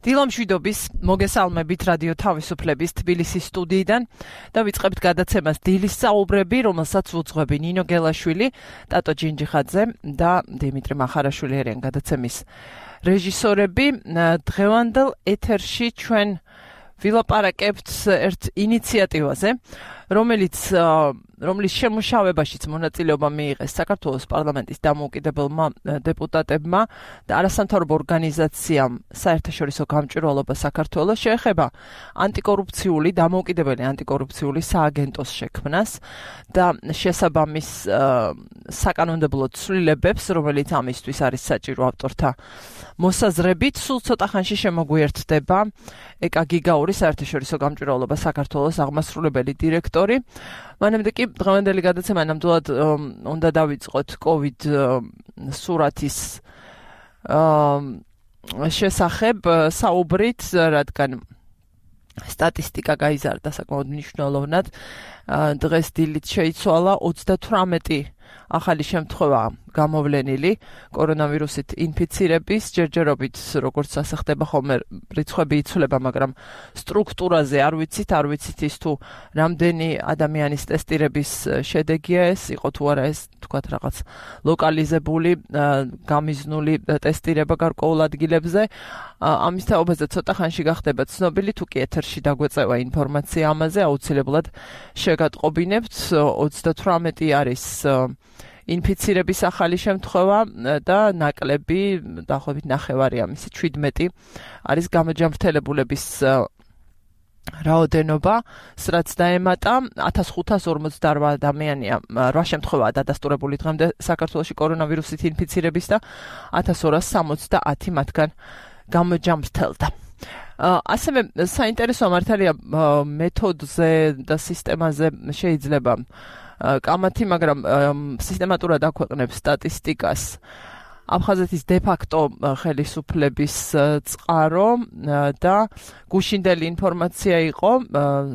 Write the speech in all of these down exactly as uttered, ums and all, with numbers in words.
დილამშვიდობის მოგესალმებით რადიო თავისუფლების თბილისის სტუდიიდან და ვიწყებთ გადაცემას დილის საუბრები, რომელსაც უძღვები ნინო გელაშვილი, ტატო ჯინჯიხაძე და დიმიტრი მახარაშვილი არიან გადაცემის რეჟისორები. დღევანდელ ეთერში ჩვენ ვილაპარაკებთ ერთ ინიციატივაზე, რომელიც რომლის შემუშავებაშიც მონაწილეობა მიიღეს საქართველოს პარლამენტის დამოუკიდებელმა დეპუტატებმა და არასამთავრობო ორგანიზაციამ საერთაშორისო გამჭვირვალობა საქართველოს შეეხება ანტიკორუფციული დამოუკიდებელი ანტიკორუფციული სააგენტოს შექმნას და შესაბამის საკანონმდებლო ცვლილებებს, რომელიც ამისთვის არის საჭირო ავტორთა მოსაზრებით. Სულ ცოტა ხანში შემოგვიერთდება ეკა გიგაური საერთაშორისო გამჭვირვალობა საქართველოს აღმასრულებელი დირექტორი. მანამდე კი დღევანდელი გადაცემა ნამდვილად უნდა დავიწყოთ COVID სურათის შესახებ საუბრით, რადგან სტატისტიკა გაიზარდა საკმაოდ მნიშვნელოვნად. დღეს დილით შეიცვალა ოცდათვრამეტი ახალი შემთხვევა გამოვლენილი კორონავირუსით ინფიცირების, ჯერჯერობით როგორც ასე ხდება ხოლმე რიცხვები იცვლება, მაგრამ სტრუქტურაზე არ ვიცით, არ ვიცით ის თუ რამდენი ადამიანის ტესტირების შედეგია ეს, იყო თუ არა ეს თქვათ რაღაც ლოკალიზებული, გამიზნული ტესტირება გარკვეულ ადგილებზე. ამის თაობაზე ცოტა ხანში გახდება ცნობილი, თუ კი ეთერში დაგვეწევა ინფორმაცია ამაზე, აუცილებლად შეგატყობინებთ. ოცდათვრამეტი არის ინფიცირების ახალი შემთხვევა და ნაკლები დაახლოებით ნახევარი ამისი შვიდმეტი არის გამოჯამრთელებულების რაოდენობა, რაც დაემატა ათას ხუთას ორმოცდაორვა ადამიანია, რვა შემთხვევაა დადასტურებული დღემდე საქართველოში კორონავირუსით ინფიცირების და ათას ორას სამოცდაათი მათგან გამოჯამრთელდა. ასევე საინტერესო მართალია მეთოდზე და სისტემაზე შეიძლება კამათი, მაგრამ სისტემატურად აქვეყნებს სტატისტიკას აფხაზეთის დე-ფაქტო ხელისუფლების წყარო და გუშინდელი ინფორმაცია იყო,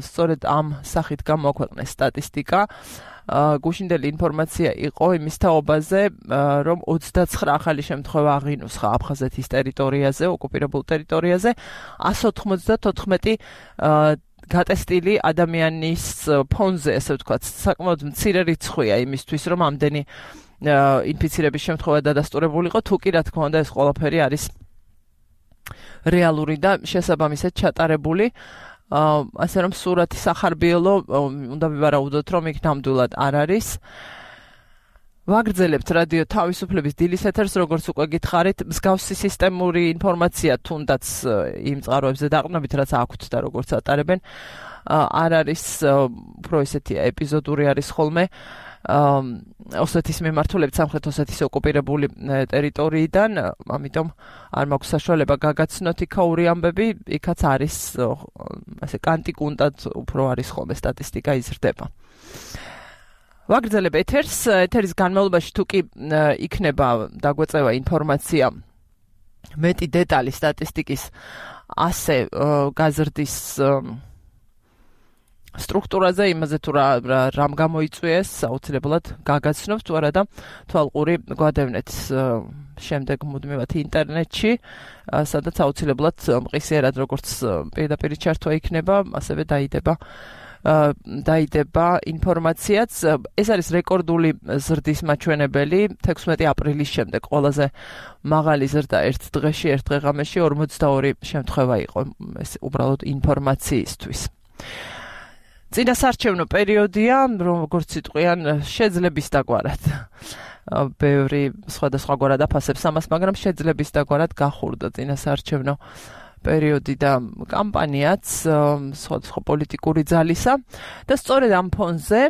სწორედ ამ სახით გამოაქვეყნეს სტატისტიკა. გუშინდელი ინფორმაცია იყო იმის თაობაზე, რომ ოცდაცხრა ახალი შემთხვევა აღინუსხა აფხაზეთის ტერიტორიაზე, ოკუპირებულ ტერიტორიაზე, ასი ოცდათოთხმეტი გატესტილი ადამიანის ფონზე, ესე ვთქვათ, საკმაოდ მცირე რიცხვია იმისთვის, რომ ამდენი ინფიცირების შემთხვევა დადასტურებული იყო, თუ კი რა თქმა უნდა ეს ყველაფერი არის რეალური და შესაბამისად ჩატარებული. ასე რომ სურათი სახარბიელო უნდა ვივარაუდოთ, რომ იქ ნამდვილად არ არის. ვაგრძელებთ რადიო თავისუფლების დილის ეთერს, როგორც უკვე გითხარით, მსგავსი სისტემური ინფორმაცია თუნდაც იმ წყაროებზე დაყრდნობით, რაც აქვთ და როგორც ატარებენ, არ არის უფრო ესეთი ეპიზოდური არის ხოლმე ოსეთის მიმართულებით სამხრეთ ოსეთის ოკუპირებული ტერიტორიიდან, ამიტომ არ მაქვს საშუალება გაგაცნოთ იქაური ამბები, იქაც არის ასე კანტიკუნტად უფრო არის ხოლმე სტატისტიკა იზრდება. ვაგრძელებ ეთერს, ეთერის განმავლობაში თუ კი იქნება დაგვეწევა ინფორმაცია მეტი დეტალი სტატისტიკის ასე გაზრდის სტრუქტურაზე, იმაზე თუ რამ გამოიწვიეს, აუცილებლად გაგაცნობთ, თუ არა და თვალყური გვადევნეთ შემდეგ მუდმივად ინტერნეტში, სადაც აუცილებლად მყისიერად როგორც პირდაპირ ჩართვა იქნება, ასევე დაიდება დაიდება ინფორმაციაც. ეს არის რეკორდული ზრდის მაჩვენებელი, თექვსმეტი აპრილის შემდეგ ყველაზე მაღალი ზრდა ერთ დღეში, ერთ დღეღამეში ორმოცდაორი შემთხვევა იყო, ეს უბრალოდ ინფორმაციისთვის. წინასარჩევნო პერიოდია, როგორც იტყვიან, შეძლების დაგვარად. ბევრი სხვადასხვაგვარად აფასებს ამას, მაგრამ შეძლების დაგვარად გახურდა წინასარჩევნო პერიოდი და კამპანიაც სხვადასხვა პოლიტიკური ძალისა და სწორედ ამ ფონზე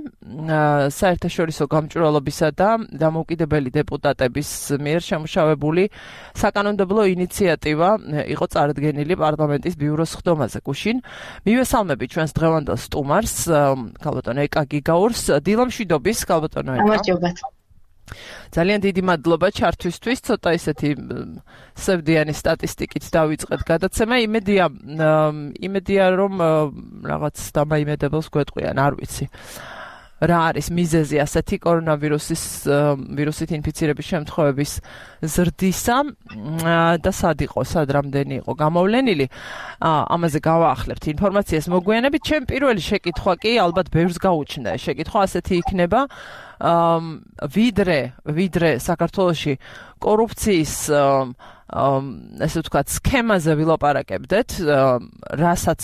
საერთაშორისო გამჭვირვალობისა და დამოუკიდებელი დეპუტატების მიერ შემუშავებული საკანონმდებლო ინიციატივა იყო წარდგენილი პარლამენტის ბიუროს ხდომაზე. გუშინ მივესალმები ჩვენს დღევანდელ სტუმარს, ქალბატონო ეკა გიგაურს. დილამშვიდობის, ქალბატონო ეკა. გამარჯობათ. ძალიან დიდი მადლობა ჩართვისთვის, ცოტა ისეთი სევდიანი სტატისტიკით დავიწყეთ გადაცემა. იმედია, იმედია რომ რაღაც დამაიმედებელს გვეტყვიან, არ ვიცი. რა არის მიზეზი ასეთი კორონავირუსის ვირუსით ინფიცირების შემთხვევების ზრდისა და სად იყო, სად რამდენი იყო გამოვლენილი. ამაზე გავაახლებთ ინფორმაციას მოგვიანებით. ჩემ პირველი შეკითხვა კი ალბათ ბევრს გაუჩნდა. შეკითხვა ასეთი იქნება, ვიდრე ვიდრე საქართველოში კორუფციის ესე ვთქვათ, სქემაზე ვილაპარაკებდეთ, რასაც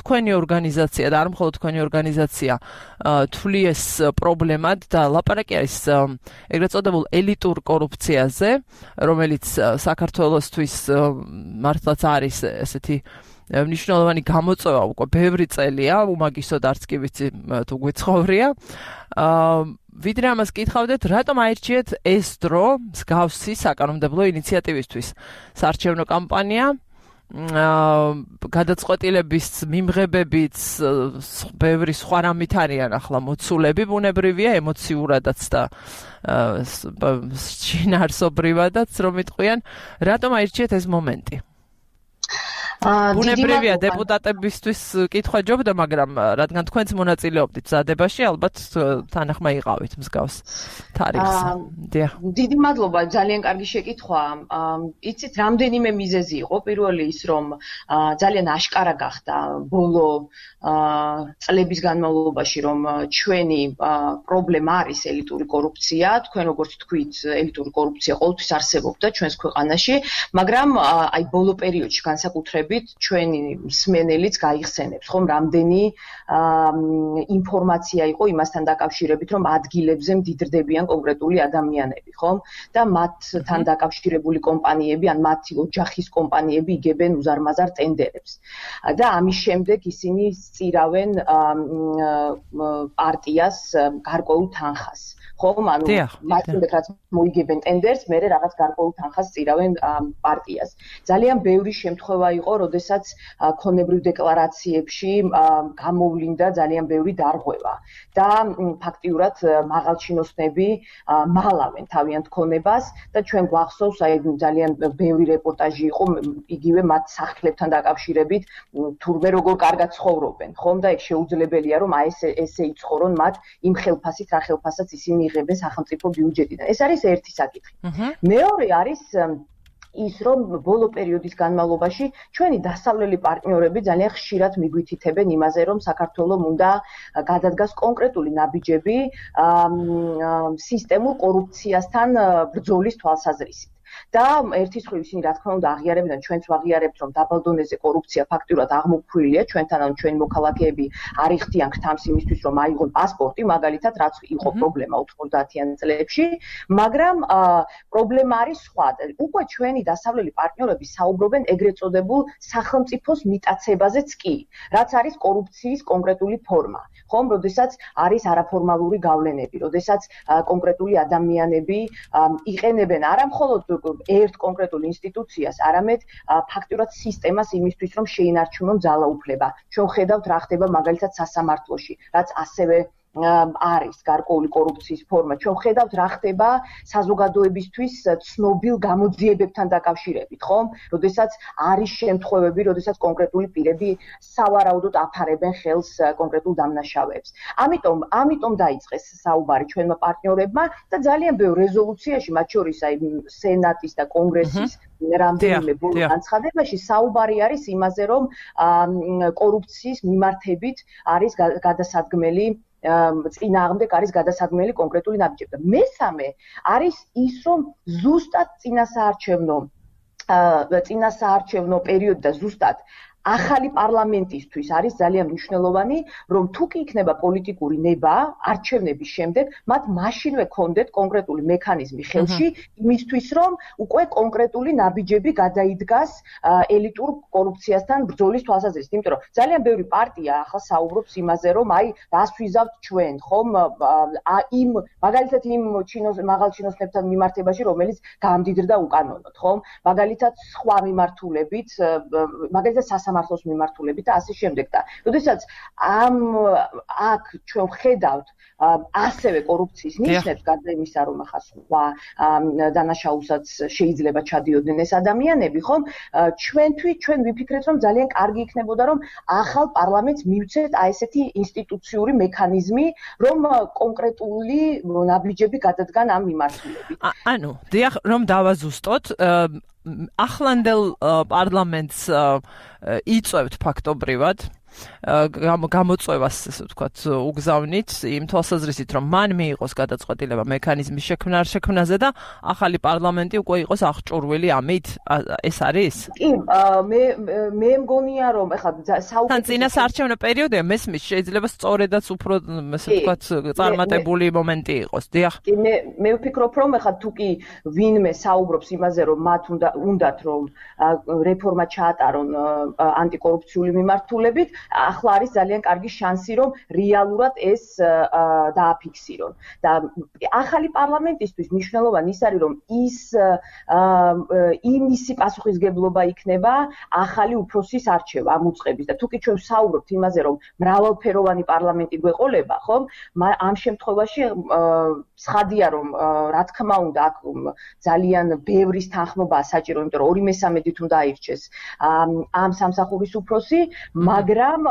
თქვენი ორგანიზაცია და არ მხოლოდ თქვენი ორგანიზაცია თვლიეს პრობლემად და ლაპარაკი არის ეგრეთ წოდებულ ელიტურ კორუფციაზე, რომელიც საქართველოსთვის მართლაც არის ესეთი მნიშვნელოვანი გამოწვევა უკვე ბევრი წელია, უმაგისოდ არც კი ვიცი თუ გვეცხოვრია. ვიდრე ამას კითხავდეთ, რატომ აირჩიეთ ეს დრო მსგავსი საკანონმდებლო ინიციატივისთვის? საარჩევნო კამპანია, გადაწყვეტილების მიმღებებიც ბევრი სხვა რამით არიან ახლა მოცულები, ბუნებრივია, ემოციურადაც და შინაარსობრივადაც რომ იტყვიან, რატომ აირჩიეთ ეს მომენტი? ბუნებრივია დეპუტატებისთვის კითხვა ჯობდა, მაგრამ რადგან თქვენც მონაწილეობდით მზადებაში, ალბათ თანახმა იყავით მსგავს თარიღს. დიდი მადლობა, ძალიან კარგი შეკითხვა. იცით, რამდენიმე მიზეზი იყო. პირველი ის, რომ ძალიან აშკარა გახდა ბოლო წლების განმავლობაში, რომ ჩვენი პრობლემა არის ელიტური კორუფცია. თქვენ როგორც თქვით, ელიტური კორუფცია ყოველთვის არსებობდა ჩვენს ქვეყანაში, მაგრამ აი ბოლო პერიოდში განსაკუთრებით ჩვენი მსმენელიც გაიხსენებს, ხომ, რამდენი ინფორმაცია იყო იმასთან დაკავშირებით, რომ ადგილებზე მდიდრდებიან კონკრეტული ადამიანები, ხომ? და მათთან დაკავშირებული კომპანიები, ან მათი ოჯახის კომპანიები იგებენ უზარმაზარ ტენდერებს. და ამის შემდეგ ისინი სწირავენ პარტიას გარკვეულ თანხას. ხომ, ანუ მაშინდელ რაც მოიგებენ ტენდერს, მერე რაღაც გარკვეულ თანხას სწირავენ პარტიას. ძალიან ბევრი შემთხვევა იყო, როდესაც ქონებრივ დეკლარაციებში გამოვლინდა ძალიან ბევრი დარღვევა და ფაქტიურად მაღალჩინოსნები მალავენ თავიანთ ქონებას და ჩვენ გვახსოვს აი ძალიან ბევრი რეპორტაჟი იყო იგივე მათ სახლებთან დაკავშირებით, თურმე როგორ კარგად ცხოვრობენ, ხომ, და ეგ შეუძლებელია რომ აი ესე ესე იცხოვრონ მათ იმ ხელფასით, რა ხელფასაც ისინი იღებენ სახელმწიფო ბიუჯეტიდან. ეს არის ერთი საკითხი. მეორე არის ის, რომ ბოლო პერიოდის განმავლობაში ჩვენი დასავლელი პარტნიორები ძალიან ხშირად მიგვითითებენ იმაზე, რომ საქართველოს უნდა გადადგას კონკრეტული ნაბიჯები სისტემურ კორუფციასთან ბრძოლის თვალსაზრისით. და ერთის მხრივ ისინი რა თქმა უნდა აღიარებენ და ჩვენც ვაღიარებთ, რომ დაბალ დონეზე კორუფცია ფაქტურად აღმოფხვილია ჩვენთან, ანუ ჩვენი მოქალაქეები არ იხდიან გთამს იმისთვის, რომ აიღონ პასპორტი, მაგალითად, რაც იყო პრობლემა ութმოცდაათიან წლებში, მაგრამ პრობლემა არის სხვა. უკვე ჩვენი დასავლელი პარტნიორები საუბრობენ ეგრეთ წოდებულ სახელმწიფოს მიტაცებაზეც კი, რაც არის კორუფციის კონკრეტული ფორმა. ხომ, როდესაც არის არაფორმალური გავლენები, როდესაც კონკრეტული ადამიანები იყენებენ არა მხოლოდ ერთ კონკრეტულ ინსტიტუციას, არამედ ფაქტურად სისტემას იმისთვის, რომ შეინარჩუნონ ძალაუფლება. ჩვენ ხედავთ რა ხდება მაგალითად სასამართლოში, რაც ასევე არის გარკვეული კორუფციის ფორმა. ჩვენ ხედავთ რა ხდება საზოგადოებისთვის ცნობილ გამოძიებებთან დაკავშირებით, ხომ? როდესაც არის შემთხვევები, როდესაც კონკრეტული პირები სავარაუდოდ აფარებენ ხელს კონკრეტულ დამნაშავეებს. ამიტომ, ამიტომ დაიწყეს საუბარი ჩვენმა პარტნიორებმა და ძალიან ბევრ რეზოლუციაში, მათ შორის აი სენატის და კონგრესის რამდენიმე ბოლო განცხადებაში საუბარი არის იმაზე, რომ კორუფციის მიმართებით არის გადასადგმელი წინააღმდეგ არის გადასადგმელი კონკრეტული ნაბიჯები. და მესამე არის ის, რომ ზუსტად წინასაარჩევნო წინასაარჩევნო პერიოდი და ზუსტად ახალი პარლამენტისთვის არის ძალიან მნიშვნელოვანი, რომ თუ კი იქნება პოლიტიკური ნება არჩევნების შემდეგ, მათ მაშინვე კონდეთ კონკრეტული მექანიზმი ხელში იმისთვის, რომ უკვე კონკრეტული ნაბიჯები გადაიდგას ელიტურ კორუფციასთან ბრძოლის თვალსაზრისით. იმიტომ რომ ძალიან ბევრი პარტია ახლა საუბრობს იმაზე, რომ აი რას ვიზავთ ჩვენ, ხომ, იმ მაგალითად იმ მაღალჩინოსნებთან მიმართებაში, რომელიც გამდიდრდა უკანონოდ, ხომ? მაგალითად სხვა მიმართულებით, მაგალითად სასამართლო სამართლოს მიმართულებით და ასე შემდეგ და როდესაც ამ აქ ჩვენ ხედავთ ასევე კორუფციის ნიშნებს გარდა იმისა რომ ახლა სხვა დანაშაულსაც შეიძლება ჩადიოდნენ ეს ადამიანები ხომ ჩვენთვის ჩვენ ვიფიქრეთ რომ ძალიან კარგი იქნებოდა რომ ახალ პარლამენტს მივცეთ აი ესეთი ინსტიტუციური მექანიზმი რომ კონკრეტული ნაბიჯები გადადგან ამ მიმართულებით ანუ დიახ რომ დავაზუსტოთ ახლანდელ პარლამენტს იწევთ ფაქტობრივად გამოწვევას ასე ვთქვათ უგზავნით იმ თვალსაზრისით რომ მან მიიღოს გადაწყვეტილება მექანიზმის შექმნა არ შექმნაზე და ახალი პარლამენტი უკვე იყოს აღჭურვილი ამით ეს არის? კი მე მე მგონია რომ ეხლა საუბარი წინა საარჩევნო პერიოდია მესმის შეიძლება სწორედაც უფრო ასე ვთქვათ წარმატებული მომენტი იყოს დიახ კი მე მე ვფიქრობ რომ ეხლა თუ კი ვინმე საუბრობს იმაზე რომ მათ უნდა უნდათ რომ რეფორმა ჩაატარონ ანტიკორუფციული მიმართულებით ახლა არის ძალიან კარგი შანსი რომ რეალურად ეს დააფიქსირონ და ახალი პარლამენტისთვის მნიშვნელოვანი ის არის რომ ის იმისი პასუხისგებლობა იქნება ახალი უფროსის არჩევა ამ უწყების და თუკი ჩვენ ვსაუბრობთ იმაზე რომ მრავალფეროვანი პარლამენტი გვეყოლება ხომ ამ შემთხვევაში ცხადია რომ რა თქმა უნდა აქ ძალიან ბევრის თანხმობაა საჭირო იმიტომ რომ ორი მესამედით უნდა აირჩეს ამ სამსახურის უფროსი მაგრამ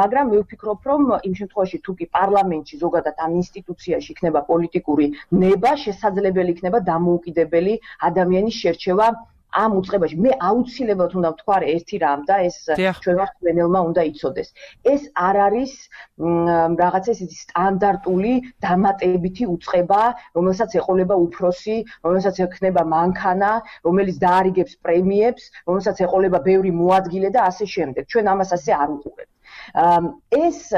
მაგრამ მე ვფიქრობ რომ იმ შემთხვევაში თუ კი პარლამენტში ზოგადად ამ ინსტიტუციაში იქნება პოლიტიკური ნება შესაძლებელი იქნება დამოუკიდებელი ადამიანის შერჩევა ამ უწყებაში მე აუცილებლად უნდა ვთქვა ერთი რამ და ეს ჩვენ ვართ ვენელმა უნდა იცოდეს ეს არ არის რაღაცა ისეთი სტანდარტული დამატებითი უწყება რომელსაც ეყოლება უფროსი რომელსაც ექნება მანქანა რომელიც დაარიგებს პრემიებს რომელსაც ეყოლება ბევრი მოადგილე და ასე შემდეგ ჩვენ ამას ასე არ უყურებთ ეს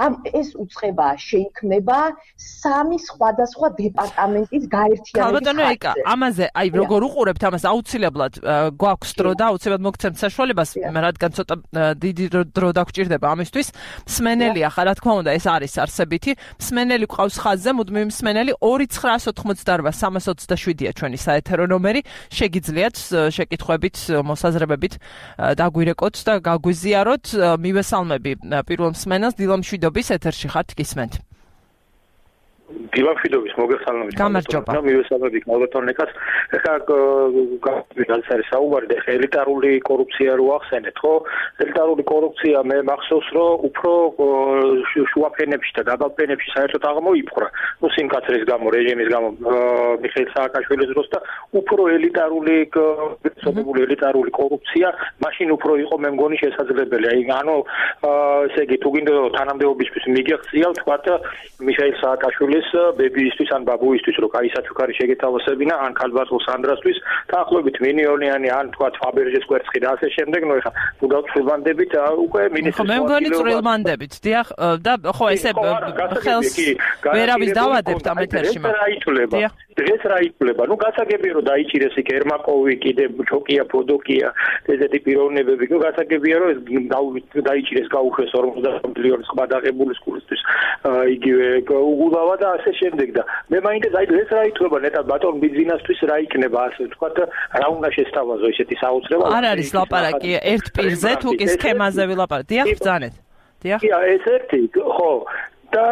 ამ ეს უწყება შეიქმნება სამი სხვადასხვა დეპარტამენტის გაერთიანების ხალხო ეკა ამაზე აი როგორ უყურებთ ამას აუცილებლად გვაქვს დრო და აუცილებლად მოგცემთ საშუალებას რადგან ცოტა დიდი დრო დაგჭირდება ამისთვის მსმენელი ახლა რა თქმა უნდა ეს არის არსებითი მსმენელი ყავს ხაზზე მუდმივი მსმენელი ორი ცხრაას ოცდაოთხმოცდარბა სამას ოცდაშვიდია ჩვენი საეთერო ნომერი შეგიძლიათ შეკითხვებით მოსაზრებებით დაგვირეკოთ და გაგვიზიაროთ მივესალმები პირველ მსმენელს დილამ შვიდობის ეთერში ხართ გისმენთ დილამ შვიდობის მოგესალმებით გამარჯობა მივესალმები ალბათონეკაც ეხლა განსაკუთრებით არის საუბარი და ელიტარული კორუფცია რო ახსენეთ ხო ელიტარული კორუფცია მე მახსოვს რომ უფრო შუაფენებში და დაბალფენებში საერთოდ აღმოიფხვრა ნუ სიმკაცრის გამო რეჟიმის გამო მიხეილ სააკაშვილის დროს და უფრო ელიტარული სოციალური ელიტარული კორუფცია მაშინ უფრო იყო მე მგონი შესაძლებელი აი ანუ ესე იგი თუ გინდა თანამდებობისთვის მიგეღწია ვთქვათ მიხეილ სააკაშვილის ბებიისთვის ან ბაბუისთვის რო კაი საჩუქარი შეგეთავსებინა ან ქალბატონ სანდრასთვის დაახლოებით მილიონიანი ან თქვა ფაბერჟეს კვერცხი და ასე შემდეგ ნუ ეხა თუ დავწვილბანდებით უკვე მინისტრის ხო მე მგონი წვილბანდებით დიახ და ხო ესე ხელს ვერავის დავადებთ ამ ეთერში მაგრამ დღეს რა ითვლება ნუ გასაგებია რომ დაიჭირეს იქ ერმაკოვი კიდე ჩოკია ფოდოკია ესეთი პიროვნებები ნუ გასაგებია რომ დაიჭირეს გაუშვეს ორმოცდაოთხ მილიონის სხვა დაღებული სკოლისთვის იგივე უგულავა და ასე შემდეგ და მე მაინტერესებს აი ეს რა ითვლება ნეტად ბატონ ბიზნესთვის რა იქნება ასე ვთქვათ რა უნდა შესთავაზო ესეთი საოცრება არ არის ლაპარაკი ერთ პირზე თუ კი სქემაზე ვილაპარაკ დიახ ბრძანეთ დიახ კი ეს ერთი ხო და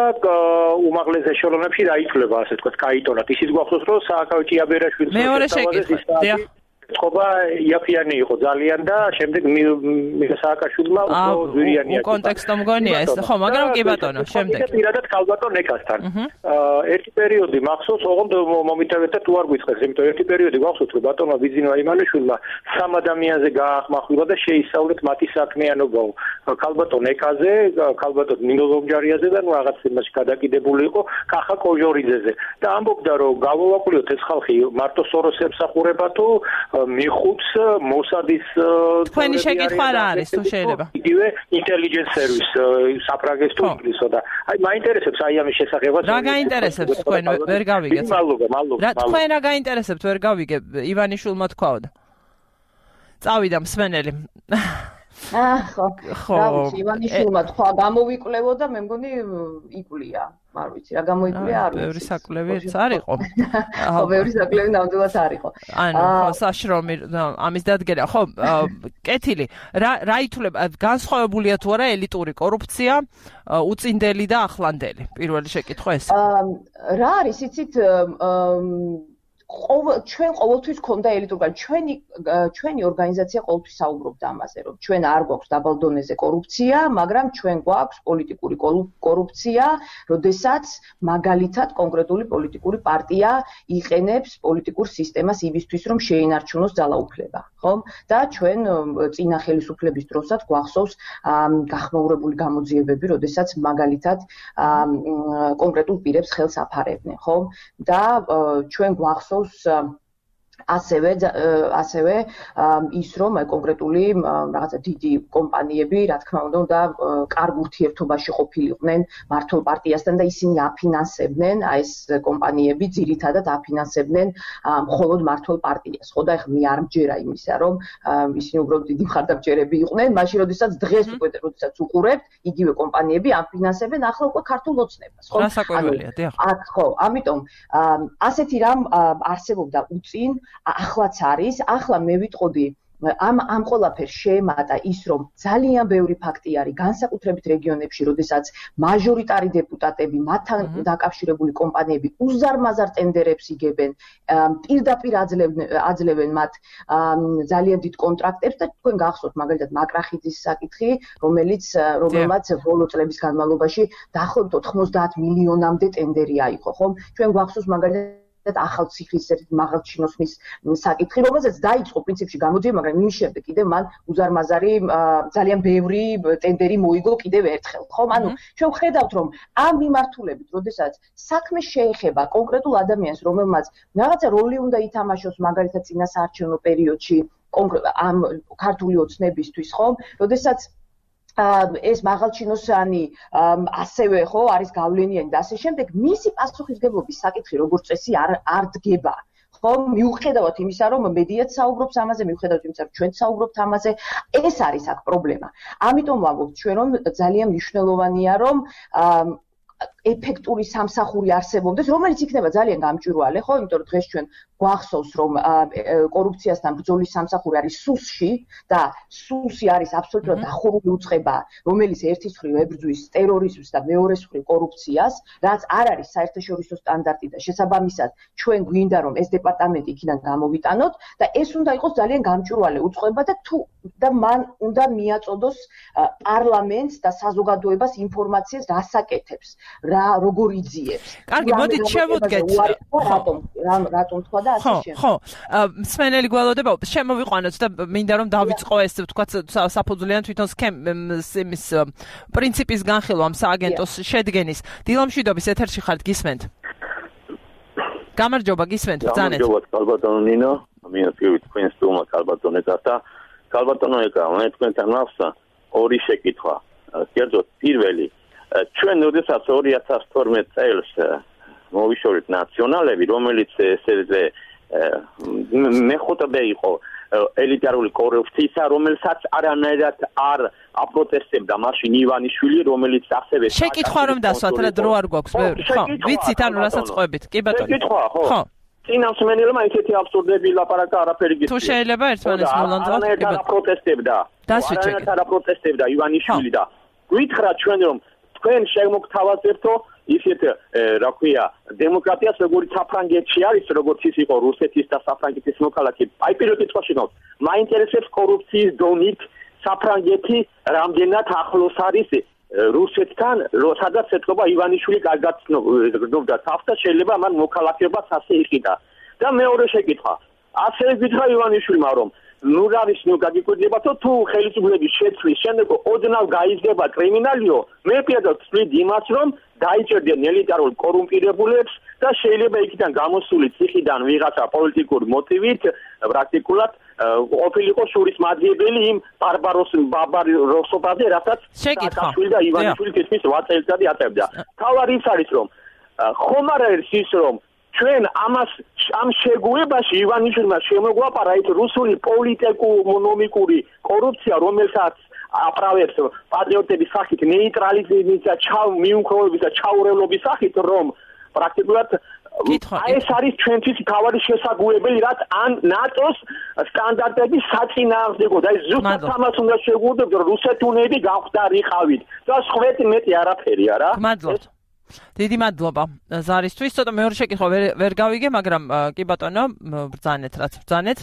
უმაღლეს ეშელონებში რა ითვლება ასე ვთქვათ კაიტონად ისიც გვახსოვს რომ სააკავი ჭიაბერაშვილს მეორე შეკითხვა დიახ წყობა იაფიანი იყო ძალიან და შემდეგ სააკაშვილმა უფრო ზვირიანია. კონტექსტო მგონია ეს ხო, მაგრამ კი ბატონო, შემდეგ. პირადად ქალბატონ ეკასთან. ერთი პერიოდი მახსოვს, ოღონდ მომიტევეთ და თუ არ გვიწყეს, იმიტომ ერთი პერიოდი გვახსოვს, რომ ბატონმა ბიზნესმა იმანიშვილმა სამ ადამიანზე გაახმახვილა და შეისწავლეთ მათი საქმიანობა. ქალბატონ ეკაზე, ქალბატონ ნინო ლომჯარიაზე და ნუ რაღაც იმაში გადაკიდებული იყო კახა კოჟორიძეზე. და ამბობდა, რომ გავოვაკვლიოთ ეს ხალხი მარტო სოროს ემსახურება თუ მიხუთს მოსადის თქვენი შეკითხვა რა არის თუ შეიძლება იგივე intelligence service საფრანგეთს თუ ინგლისო და აი მაინტერესებს აი ამის შესახებაც რა გაინტერესებს თქვენ ვერ გავიგეთ მადლობა მადლობა რა თქვენ რა გაინტერესებთ ვერ გავიგე ივანიშვილმა თქვაო და წავიდა მსმენელი აა ხო ხო ივანიშვილმა თქვა გამოვიკვლევო და მე მგონი იკვლია არ ვიცი რა გამოიკვლია არ ვიცი. ბევრი საკვლევიც არ იყო. ხო, ბევრი საკვლევი ნამდვილად არ იყო. ანუ ხო, საშრომი ამის დადგენა. ხო, კეთილი. რა რა ითვლება განსხვავებულია თუ არა ელიტური კორუფცია, უწინდელი და ახლანდელი? პირველი შეკითხვა ეს. რა არის იცით ყოველ ჩვენ ყოველთვის ქონდა ელიტური ჩვენი ჩვენი ორგანიზაცია ყოველთვის საუბრობდა ამაზე რომ ჩვენ არ გვაქვს დაბალ დონეზე კორუფცია, მაგრამ ჩვენ გვაქვს პოლიტიკური კორუფცია, როდესაც მაგალითად კონკრეტული პოლიტიკური პარტია იყენებს პოლიტიკურ სისტემას იმისთვის რომ შეინარჩუნოს ძალაუფლება, ხო? და ჩვენ წინა ხელისუფლების დროსაც გვახსოვს გახმაურებული გამოძიებები, როდესაც მაგალითად კონკრეტულ პირებს ხელს აფარებდნენ, ხო? და ჩვენ გვახსოვს ასევე ასევე ის რომ კონკრეტული რაღაცა დიდი კომპანიები, რა თქმა უნდა, და კარგ ურთიერთობაში ყოფილიყვნენ მართლ პარტიასთან და ისინი აფინანსებდნენ, აი ეს კომპანიები ძირითადად აფინანსებდნენ მხოლოდ მართლ პარტიას. ხო და ეხლა მე არ მჯერა იმისა, რომ ისინი უბრალოდ დიდი მხარდამჭერები იყვნენ, მაშინ როდესაც დღეს უკვე როდესაც უყურებთ, იგივე კომპანიები აფინანსებენ ახლა უკვე ქართულ ოცნებას, ხო? რა საკველია, დიახ. აქ ხო, ამიტომ ასეთი რამ არსებობდა უწინ ახლაც არის, ახლა მე ვიტყოდი ამ ამ ყველაფერს შეემატა ის, რომ ძალიან ბევრი ფაქტი არის განსაკუთრებით რეგიონებში, როდესაც მაჟორიტარი დეპუტატები, მათთან დაკავშირებული კომპანიები უზარმაზარ ტენდერებს იგებენ, პირდაპირ აძლევენ მათ ძალიან დიდ კონტრაქტებს და თქვენ გახსოვთ მაგალითად მაკრახიძის საკითხი, რომელიც რომელმაც ბოლო წლების განმავლობაში დაახლოებით ოთხმოცდაათ მილიონამდე ტენდერი აიღო, ხო? ჩვენ გახსოვს მაგალითად ახალციხის ერთ მაღალჩინოსნის საკითხი, რომელზეც დაიწყო პრინციპში გამოძიება, მაგრამ იმის შემდეგ კიდევ მან უზარმაზარი ძალიან ბევრი ტენდერი მოიგო კიდევ ერთხელ, ხო? ანუ ჩვენ ვხედავთ, რომ ამ მიმართულებით, როდესაც საქმე შეეხება კონკრეტულ ადამიანს, რომელმაც რაღაცა როლი უნდა ითამაშოს მაგალითად წინა საარჩევნო პერიოდში ამ ქართული ოცნებისთვის, ხო? როდესაც ეს მაღალჩინოსანი ასევე ხო არის გავლენიანი და ასე შემდეგ, მისი პასუხისგებლობის საკითხი როგორც წესი არ არ დგება. ხო, მიუხედავად იმისა, რომ მედიაც საუბრობს ამაზე, მიუხედავად იმისა, რომ ჩვენც საუბრობთ ამაზე, ეს არის აქ პრობლემა. ამიტომ ვამბობთ ჩვენ, რომ ძალიან მნიშვნელოვანია, რომ ეფექტური სამსახური არსებობდეს, რომელიც იქნება ძალიან გამჭვირვალე, ხო? იმიტომ რომ დღეს ჩვენ გვახსოვს, რომ კორუფციასთან ბრძოლის სამსახური არის სუსში და სუსი არის აბსოლუტურად დახურული უწყება, რომელიც ერთის მხრივ ებრძვის ტერორიზმს და მეორეს მხრივ კორუფციას, რაც არ არის საერთაშორისო სტანდარტი და შესაბამისად ჩვენ გვინდა რომ ეს დეპარტამენტი იქიდან გამოვიტანოთ და ეს უნდა იყოს ძალიან გამჭვირვალე უწყება და თუ და მან უნდა მიაწოდოს პარლამენტს და საზოგადოებას ინფორმაციას რასაკეთებს, რა როგორ იძიებს. კარგი, მოდით შევუდგეთ. რატომ რატომ თქვა და ასე შემდეგ. ხო, მსმენელი გველოდება, შემოვიყვანოთ და მინდა რომ დავიწყო ეს თქვათ საფუძვლიან თვითონ სქემის პრინციპის განხილვა ამ სააგენტოს შედგენის. დილამშვიდობის ეთერში ხართ, გისმენთ? გამარჯობა, გისმენთ, ბრძანეთ. გამარჯობა, ქალბატონო ნინო, მინატრებით თქვენ სტუმარს ქალბატონო და ქალბატონო ეკა, მე თქვენთან ვახსნა ორი შეკითხვა. კერძოდ პირველი ჩვენ როდესაც ორი ათას თორმეტ წელს მოვიშორეთ ნაციონალები, რომელიც ესე მეხუთე იყო ელიტარული კორუფცია, რომელსაც არანაირად არ აპროტესტებდა მაშინ ივანიშვილი, რომელიც ასევე შეკითხვა რომ დასვათ, რა დრო არ გვაქვს ბევრი. ხო, ვიცით ანუ რასაც ყვებით. კი ბატონო. შეკითხვა, ხო. წინამსმენელმა ისეთი აბსურდები ლაპარაკა არაფერი გიცი. თუ შეიძლება ერთმანეთს მოლანძღავთ, კი ბატონო. აპროტესტებდა. დასვით. არ აპროტესტებდა ივანიშვილი და გითხრათ ჩვენ რომ თქვენ შემოგთავაზებთო ისეთ რა ქვია დემოკრატიას როგორც საფრანგეთში არის, როგორც ის იყო რუსეთის და საფრანგეთის მოქალაქე. აი პირველ კითხვაში გავს. მაინტერესებს კორუფციის დონით საფრანგეთი რამდენად ახლოს არის რუსეთთან, სადაც ეთქობა ივანიშვილი კარგად გრძნობდა თავს და შეიძლება მან მოქალაქეობას ასე იყიდა. და მეორე შეკითხვა. ასევე გითხრა ივანიშვილმა რომ ნუ არის ნუ გაგიკვირდებათო თუ ხელისუფლების შეცვლის შემდეგ ოდნავ გაიზრდება კრიმინალიო, მე პირადად ვთვლით იმას რომ დაიჭერდნენ ელიტარულ კორუმპირებულებს და შეიძლება იქიდან გამოსული ციხიდან ვიღაცა პოლიტიკური მოტივით პრაქტიკულად ყოფილიყო შურისმაძიებელი იმ ბარბაროს ბარბაროსობაზე, რასაც სააკაშვილი და ივანიშვილი თითქმის რვა წელიწადი აწევდა. თავარი ის არის რომ ხომ არ არის ის რომ ჩვენ ამას ამ შეგუებაში ივანიშვილმა შემოგვაპარა ის რუსული პოლიტიკურ-ეკონომიკური კორუფცია, რომელსაც აპრავებს პატრიოტების სახით, ნეიტრალიზმის და მიუმხრობების და ჩაურევლობის სახით, რომ პრაქტიკულად აი ეს არის ჩვენთვის თავარი შესაძლებელი, რაც ან ნატოს სტანდარტების საწინააღმდეგო და ეს ზუსტად ამას უნდა შეგუებდეთ, რომ რუსეთუნები გავხდარიყავით და სხვეთი მეტი არაფერი არა. მადლობთ. დიდი მადლობა ზარისთვის. ცოტა მეორე შეკითხვა ვერ ვერ გავიგე, მაგრამ კი ბატონო, ბრძანეთ, რაც ბრძანეთ.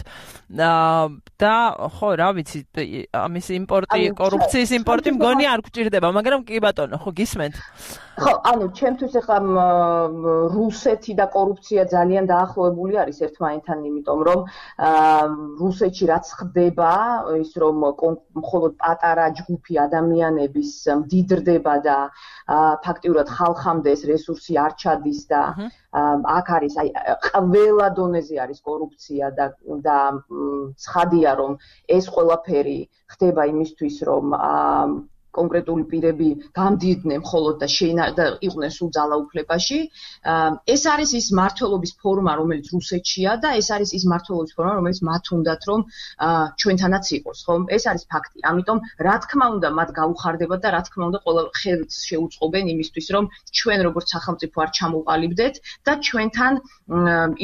და ხო, რა ვიცი, ამის იმპორტი, კორუფციის იმპორტი მგონი არ გვჭირდება, მაგრამ კი ბატონო, ხო გისმენთ? ხო, ანუ ჩემთვის ახლა რუსეთი და კორუფცია ძალიან დაახლოებული არის ერთმანეთთან, იმიტომ რომ რუსეთში რაც ხდება, ის რომ მხოლოდ პატარა ჯგუფი ადამიანების მდიდრდება და ფაქტიურად ხალხამდე ეს რესურსი არ ჩადის და აქ არის აი ყველა დონეზე არის კორუფცია და და ცხადია რომ ეს ყველაფერი ხდება იმისთვის რომ კონკრეტული პირები გამდიდნენ მხოლოდ და და იყვნენ სულ ძალაუფლებაში. ეს არის ის მართლობის ფორმა, რომელიც რუსეთშია და ეს არის ის მართლობის ფორმა, რომელიც მათ უნდათ რომ ჩვენთანაც იყოს, ხო? ეს არის ფაქტი. ამიტომ რა თქმა უნდა მათ გაუხარდებათ და რა თქმა უნდა ყველა ხელს შეუწყობენ იმისთვის, რომ ჩვენ როგორც სახელმწიფო არ ჩამოვყალიბდეთ და ჩვენთან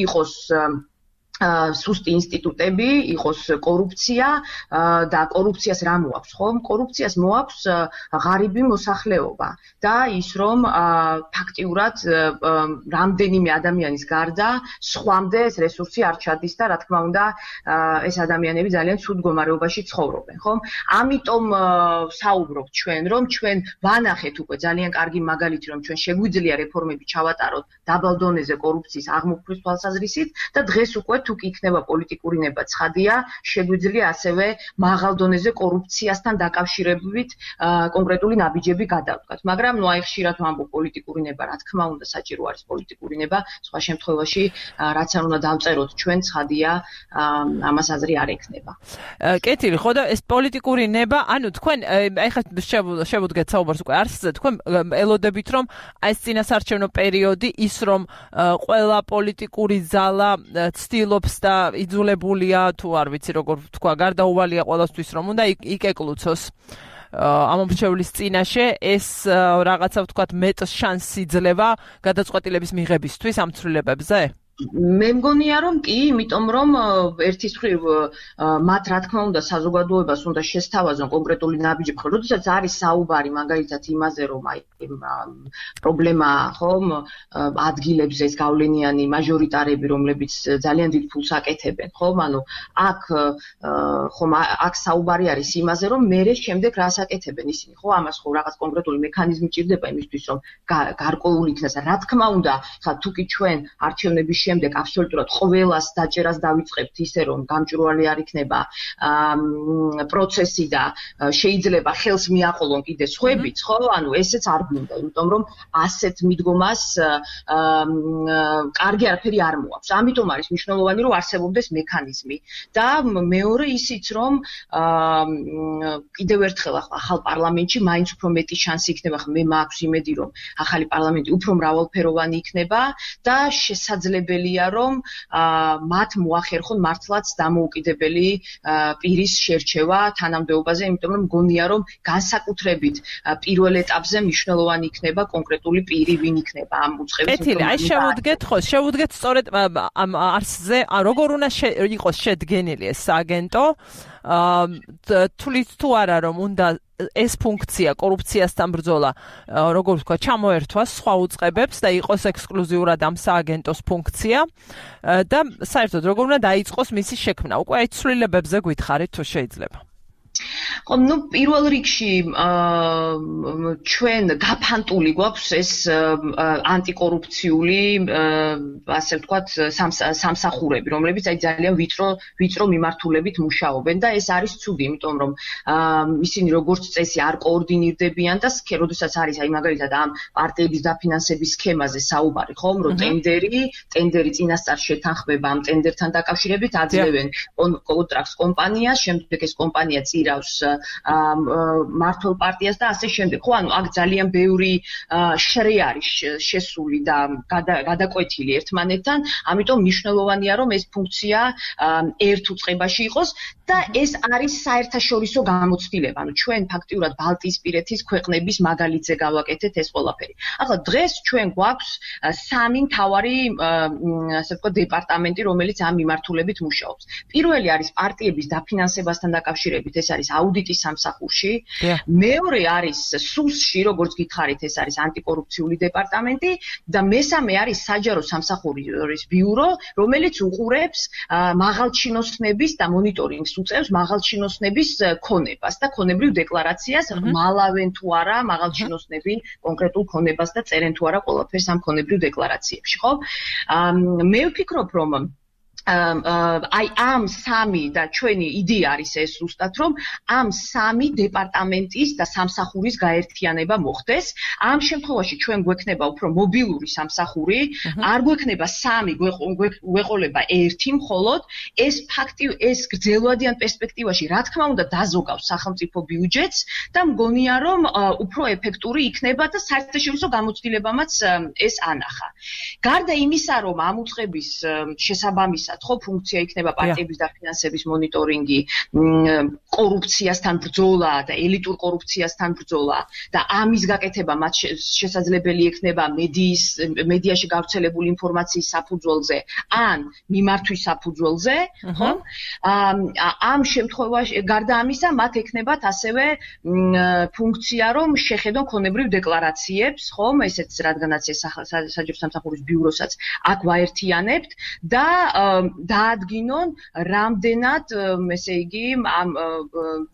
იყოს სუსტი ინსტიტუტები, იყოს კორუფცია და კორუფციას რა მოაქვს, ხო? კორუფციას მოაქვს ღარიბი მოსახლეობა და ის რომ ფაქტიურად რამდენიმე ადამიანის გარდა სხვამდე ეს რესურსი არ ჩადის და რა თქმა უნდა ეს ადამიანები ძალიან ცუდ მდგომარეობაში ცხოვრობენ, ხო? ამიტომ საუბრობთ ჩვენ, რომ ჩვენ ვანახეთ უკვე ძალიან კარგი მაგალითი, რომ ჩვენ შეგვიძლია რეფორმები ჩავატაროთ დაბალ დონეზე კორუფციის აღმოფხვრვის თვალსაზრისით და დღეს უკვე თუ კი იქნება პოლიტიკური ნება ცხადია, შეგვიძლია ასევე მაღალ დონეზე კორუფციასთან დაკავშირებით კონკრეტული ნაბიჯები გადავდგათ. მაგრამ ნუ აი ხშირად ვამბობ პოლიტიკური ნება, რა თქმა უნდა, საჭირო არის პოლიტიკური ნება, სხვა შემთხვევაში რაც არ უნდა დავწეროთ ჩვენ, ცხადია, ამას აზრი არ ექნება. კეთილი, ხო და ეს პოლიტიკური ნება, ანუ თქვენ აი ხა შევუდგეთ საუბარს უკვე არსზე, თქვენ ელოდებით რომ აი ეს წინასარჩევნო პერიოდი ის რომ ყველა პოლიტიკური ძალა ცდილობს და იძულებულია თუ არ ვიცი როგორ თქვა გარდაუვალია ყველასთვის რომ უნდა იკეკლუცოს ამომრჩევლის წინაშე ეს რაღაცა ვთქვათ მეტ შანსს იძლევა გადაწყვეტილების მიღებისთვის ამ ცვლილებებზე? მე მგონია რომ კი, იმიტომ რომ ერთის მხრივ მათ რა თქმა უნდა საზოგადოებას უნდა შესთავაზონ კონკრეტული ნაბიჯები, ხო, როდესაც არის საუბარი მაგალითად იმაზე, რომ აი პრობლემა, ხო, ადგილებზე ეს გავლენიანი მაჟორიტარები, რომლებიც ძალიან დიდ ფულს აკეთებენ, ხო, ანუ აქ ხომ აქ საუბარი არის იმაზე, რომ მერე შემდეგ რას აკეთებენ ისინი, ხო, ამას ხო რაღაც კონკრეტული მექანიზმი ჭირდება იმისთვის, რომ გარკვეული იქნას. რა თქმა უნდა, ხა თუ კი ჩვენ არჩევნების შემდეგ აბსოლუტურად ყველას დაჭერას დავიწყებთ ისე რომ გამჭვირვალე არ იქნება პროცესი და შეიძლება ხელს მიაყოლონ კიდე სხვებიც, ხო? ანუ ესეც არ გვინდა, იმიტომ რომ ასეთ მიდგომას კარგი არაფერი არ მოაქვს. ამიტომ არის მნიშვნელოვანი რომ არსებობდეს მექანიზმი და მეორე ისიც რომ კიდევ ერთხელ ახალ პარლამენტში მაინც უფრო მეტი შანსი იქნება, ხა მე მაქვს იმედი რომ ახალი პარლამენტი უფრო მრავალფეროვანი იქნება და შესაძლებელია რომ მათ მოახერხონ მართლაც დამოუკიდებელი პირის შერჩევა თანამდებობაზე, იმიტომ რომ მგონია რომ განსაკუთრებით პირველ ეტაპზე მნიშვნელოვანი იქნება კონკრეტული პირი, ვინ იქნება ამ უწყების. კეთილი, აი შევუდგეთ ხო, შევუდგეთ სწორედ ამ არსზე, როგორ უნდა იყოს შედგენილი ეს სააგენტო, თulit თუ არა რომ უნდა ეს ფუნქცია კორუფციასთან ბრძოლა, როგორ ვთქვა, ჩამოერთვას სხვა უწყებებს და იყოს ექსკლუზიურად ამ სააგენტოს ფუნქცია და საერთოდ როგორ უნდა დაიწყოს მისი შექმნა. უკვე აი ცვლილებებზე გითხარით თუ შეიძლება. ხო, ну, პირველ რიგში ჩვენ გაფანტული გვაქვს ეს ანტიკორუფციული, ასე ვთქვათ, სამსახურები, რომლებიც აი ძალიან ვიწრო ვიწრო მიმართულებით მუშაობენ და ეს არის ცუდი, იმიტომ რომ ისინი როგორც წესი არ კოორდინირდებიან და როდესაც არის აი მაგალითად ამ პარტიების დაფინანსების სქემაზე საუბარი, ხო, რომ ტენდერი, ტენდერი წინასწარ შეთანხმება ამ ტენდერთან დაკავშირებით აძლევენ კონტრაქტს კომპანიას, შემდეგ ეს კომპანია წირავს მართლ პარტიას და ასე შემდეგ. ხო, ანუ აქ ძალიან ბევრი შრე არის შესული და გადაკვეთილი ერთმანეთთან, ამიტომ მნიშვნელოვანია რომ ეს ფუნქცია ერთ უწყებაში იყოს და ეს არის საერთაშორისო გამოცდილება. ანუ ჩვენ ფაქტიურად ბალტიისპირეთის ქვეყნების მაგალითზე გავაკეთეთ ეს ყველაფერი. ახლა დღეს ჩვენ გვაქვს სამი მთავარი ასე ვთქვათ დეპარტამენტი, რომელიც ამ მიმართულებით მუშაობს. პირველი არის პარტიების დაფინანსებასთან დაკავშირებით, ეს არის აუდიტის სამსახურში. მეორე არის სუსში, როგორც გითხარით, ეს არის ანტიკორუფციული დეპარტამენტი და მესამე არის საჯარო სამსახურის ბიურო, რომელიც უყურებს მაღალჩინოსნების და მონიტორინგს უწევს მაღალჩინოსნების ქონებას და ქონებრივ დეკლარაციას, მალავენ თუ არა მაღალჩინოსნები კონკრეტულ ქონებას და წერენ თუ არა ყველაფერს ამ ქონებრივ დეკლარაციებში, ხო? მე ვფიქრობ, რომ აი ამ სამი და ჩვენი იდეა არის ეს ზუსტად რომ ამ სამი დეპარტამენტის და სამსახურის გაერთიანება მოხდეს. ამ შემთხვევაში ჩვენ გვექნება უფრო მობილური სამსახური, არ გვექნება სამი, გვეყოლება ერთი მხოლოდ. ეს ფაქტი ეს გრძელვადიან პერსპექტივაში რა თქმა უნდა დაზოგავს სახელმწიფო ბიუჯეტს და მგონია რომ უფრო ეფექტური იქნება და საერთაშორისო გამოცდილებამაც ეს ანახა. გარდა იმისა რომ ამ უწყების შესაბამისად ხო ფუნქცია იქნება პარტიების დაფინანსების მონიტორინგი, კორუფციასთან ბრძოლა და ელიტურ კორუფციასთან ბრძოლა და ამის გაკეთება მათ შესაძლებელი იქნება მედიის მედიაში გავრცელებული ინფორმაციის საფუძველზე ან მიმართვის საფუძველზე, ხო? ამ შემთხვევაში გარდა ამისა მათ ექნებათ ასევე ფუნქცია რომ შეხედონ ქონებრივ დეკლარაციებს, ხო? ესეც რადგანაც ეს საჯარო სამსახურის ბიუროსაც აქ ვაერთიანებთ და დაადგინონ რამდენად ესე იგი ამ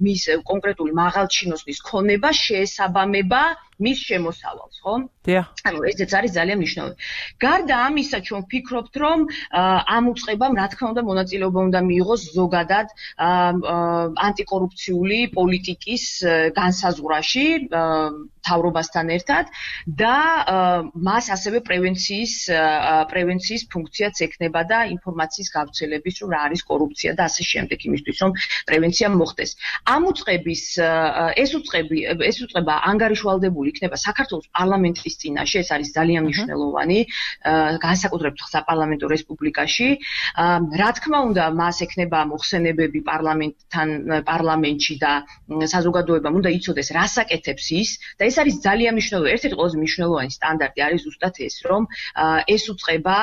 მის კონკრეტული მაღალჩინოსნის ქონება შეესაბამება მის შემოსავალს, ხო? დიახ. ანუ ესეც არის ძალიან მნიშვნელოვანი. გარდა ამისა, ჩვენ ვფიქრობთ, რომ ამ უწყებამ, რა თქმა უნდა, მონაწილეობა უნდა მიიღოს ზოგადად ანტიკორუფციული პოლიტიკის განსაზღვრაში მთავრობასთან ერთად და მას ასევე პრევენციის პრევენციის ფუნქციაც ექნება და ინფორმაციის გავრცელების, რომ რა არის კორუფცია და ასე შემდეგ, იმისთვის, რომ პრევენცია მოხდეს. ამ უწყების ეს უწყები ეს უწყება ანგარიშვალდებული იქნება საქართველოს პარლამენტის წინაშე, ეს არის ძალიან მნიშვნელოვანი, განსაკუთრებით საპარლამენტო რესპუბლიკაში. რა თქმა უნდა, მას ექნება მოხსენებები პარლამენტთან პარლამენტში და საზოგადოებამ უნდა იცოდეს, რას აკეთებს ის და ეს არის ძალიან მნიშვნელოვანი. ერთ-ერთი ყველაზე მნიშვნელოვანი სტანდარტი არის ზუსტად ეს, რომ ეს უწყება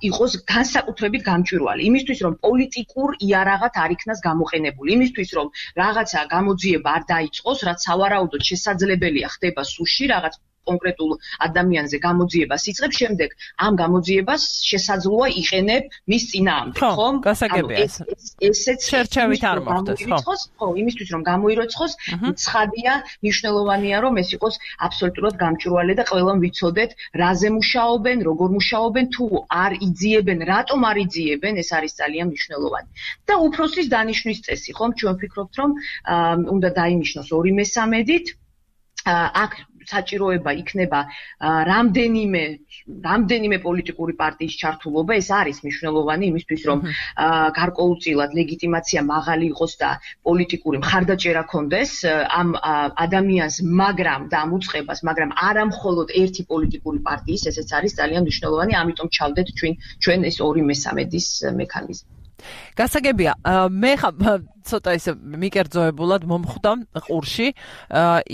იყოს განსაკუთრებით გამჭვირვალე. იმისთვის, რომ პოლიტიკურ იარაღად არ იქნას გამოყენებული, იმისთვის, რომ რაღაცა გამოძიება არ დაიწყოს, რაც სავარაუდოდ შესაძლებელია ხდება სუში, რაღაც კონკრეტულ ადამიანზე გამოძიებას იწყებს, შემდეგ ამ გამოძიებას შესაძლოა იყენებ მის წინააღმდეგ, ხო? გასაგებია ეს. ესეც შერჩევით არ მოხდეს, ხო? ხო, იმისთვის რომ გამოიროცხოს, ცხადია, მნიშვნელოვანია რომ ეს იყოს აბსოლუტურად გამჭვირვალე და ყველამ ვიცოდეთ, რაზე მუშაობენ, როგორ მუშაობენ, თუ არ იძიებენ, რატომ არ იძიებენ, ეს არის ძალიან მნიშვნელოვანი. და უფროსის დანიშვნის წესი, ხო? ჩვენ ვფიქრობთ, რომ უნდა დაინიშნოს ორი მესამედით. აქ საჭიროება იქნება რამდენიმე რამდენიმე პოლიტიკური პარტიის ჩართულობა, ეს არის მნიშვნელოვანი იმისთვის, რომ გარკვეულწილად ლეგიტიმაცია მაღალი იყოს და პოლიტიკური მხარდაჭერა ქონდეს ამ ადამიანს, მაგრამ და ამ უწყებას, მაგრამ არა მხოლოდ ერთი პოლიტიკური პარტიის, ესეც არის ძალიან მნიშვნელოვანი, ამიტომ ჩავდეთ ჩვენ ჩვენ ეს ორი მესამედის მექანიზმი. გასაგებია, მე ცოტა ისე მიკერძოებულად მომხვდა ყურში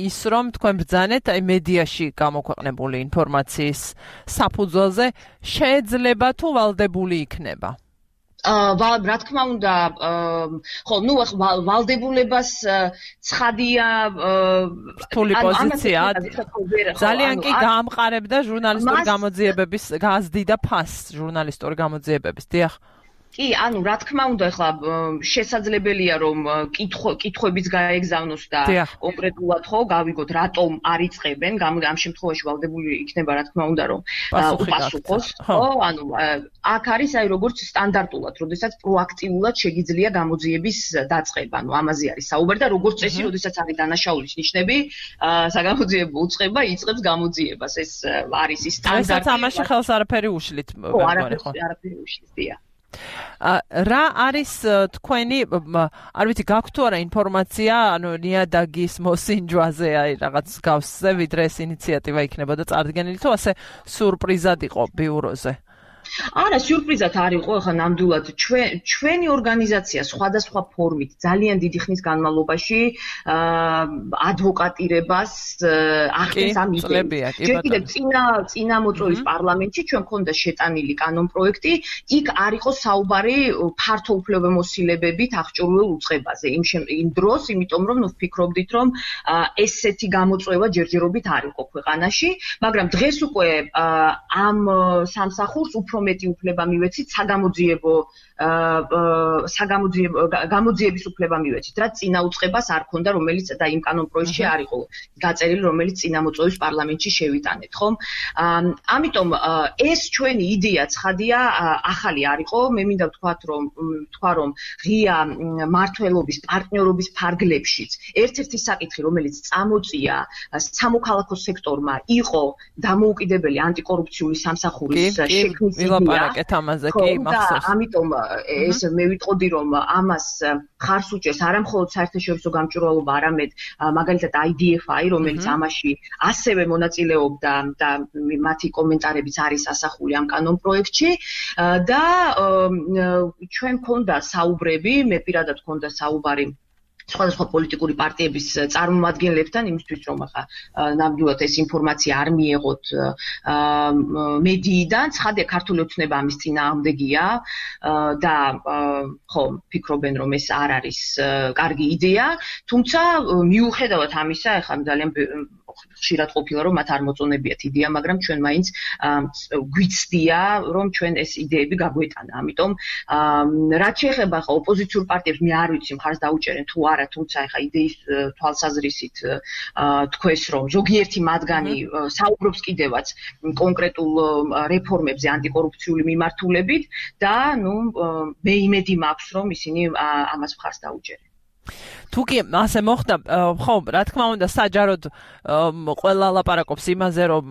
ის რომ თქვენ ბრძანეთ აი მედიაში გამოქვეყნებული ინფორმაციის საფუძველზე შეიძლება თუ ვალდებული იქნება. აა რა თქმა უნდა, ხო, ნუ ვალდებულებას ცხადია რთული პოზიცია. ძალიან კი გაამყარებდა ჟურნალისტური გამოძიებების გაზდიდა ფასს ჟურნალისტური გამოძიებების. დიახ. კი, ანუ რა თქმა უნდა, ახლა შესაძლებელია რომ კითხვებიც გაეგზავნოს და კონკრეტულად ხო გავიგოთ რატომ არ იწყებენ, ამ შემთხვევაში ვალდებული იქნება რა თქმა უნდა რომ უპასუხოს, ხო? ანუ აქ არის აი როგორც სტანდარტულად, როდესაც პროაქტიულად შეგიძლია გამოძიების დაწყება, ანუ ამაზე არის საუბარი და როგორც წესი, როდესაც არის დანაშაულის ნიშნები, საგამოძიებო უწყება იწყებს გამოძიებას. ეს არის ის სტანდარტი. ესაც ამაში ხელს არაფერი უშლით, ხო, არაფერი არაფერი უშლის, დიახ. რა არის თქვენი არ ვიცი გაქვთ თუ არა ინფორმაცია ანუ ნიადაგის მოსინჯვაზე აი რაღაც გავსზე ვიდრე ეს ინიციატივა იქნებოდა წარდგენილი თუ ასე სურპრიზად იყო ბიუროზე არა, სიურპრიზად არ იყო, ახლა ნამდვილად ჩვენ ჩვენი ორგანიზაცია სხვადასხვა ფორმით ძალიან დიდი ხნის განმავლობაში ადვოკატირებას ახდენს ამ იდეას. ჯერ კიდევ წინა წინა მოწვევის პარლამენტში ჩვენ მქონდა შეტანილი კანონპროექტი, იქ არ იყო საუბარი ფართო უფლებამოსილებებით აღჭურვილ უწყებაზე. იმ იმ დროს, იმიტომ რომ ნუ ვფიქრობდით, რომ ესეთი გამოწვევა ჯერჯერობით არ იყო ქვეყანაში, მაგრამ დღეს უკვე ამ სამსახურს უფრო მეტი უფლება მივეცით საგამოძიებო საგამოძიებო გამოძიების უფლება მივეცით რაც წინა უწყებას არ ქონდა რომელიც და იმ კანონპროექტში არ იყო გაწერილი რომელიც წინა მოწვევის პარლამენტში შევიტანეთ ხომ ამიტომ ეს ჩვენი იდეა ცხადია ახალი არ იყო მე მინდა ვთქვათ რომ თქვა რომ ღია მართლობის პარტნიორობის ფარგლებშიც ერთ-ერთი საკითხი რომელიც წამოწია სამოქალაქო სექტორმა იყო დამოუკიდებელი ანტიკორუფციული სამსახურის შექმნის ვილაპარაკეთ ამაზე კი მახსოვს. ამიტომ ეს მე ვიტყოდი რომ ამას ხარს უჭერს არა მხოლოდ საერთაშორისო გამჭვირვალობა, არამედ მაგალითად I D F I, რომელიც ამაში ასევე მონაწილეობდა და მათი კომენტარებიც არის ასახული ამ კანონპროექტში და ჩვენ მქონდა საუბრები, მე პირადად მქონდა საუბარი სხვადასხვა პოლიტიკური პარტიების წარმომადგენლებთან იმისთვის რომ ახლა ნამდვილად ეს ინფორმაცია არ მიეღოთ მედიიდან, ცხადია ქართული ოცნება ამის წინააღმდეგია და ხო ფიქრობენ რომ ეს არ არის კარგი იდეა, თუმცა მიუხედავად ამისა, ახლა ძალიან ხშირად ყოფილა რომ მათ არ მოწონებიათ იდეა, მაგრამ ჩვენ მაინც გვიცდია რომ ჩვენ ეს იდეები გაგვეტანა. ამიტომ რაც შეეხება ახლა ოპოზიციურ პარტიებს, მე არ ვიცი მხარს დაუჭერენ თუ არა, თუმცა ახლა იდეის თვალსაზრისით თქვეს რომ ზოგიერთი მათგანი საუბრობს კიდევაც კონკრეტულ რეფორმებზე ანტიკორუფციული მიმართულებით და ნუ მე იმედი მაქვს რომ ისინი ამას მხარს დაუჭერენ. თუ კი ასე მოხდა, ხო, რა თქმა უნდა, საჯაროდ ყველა ლაპარაკობს იმაზე, რომ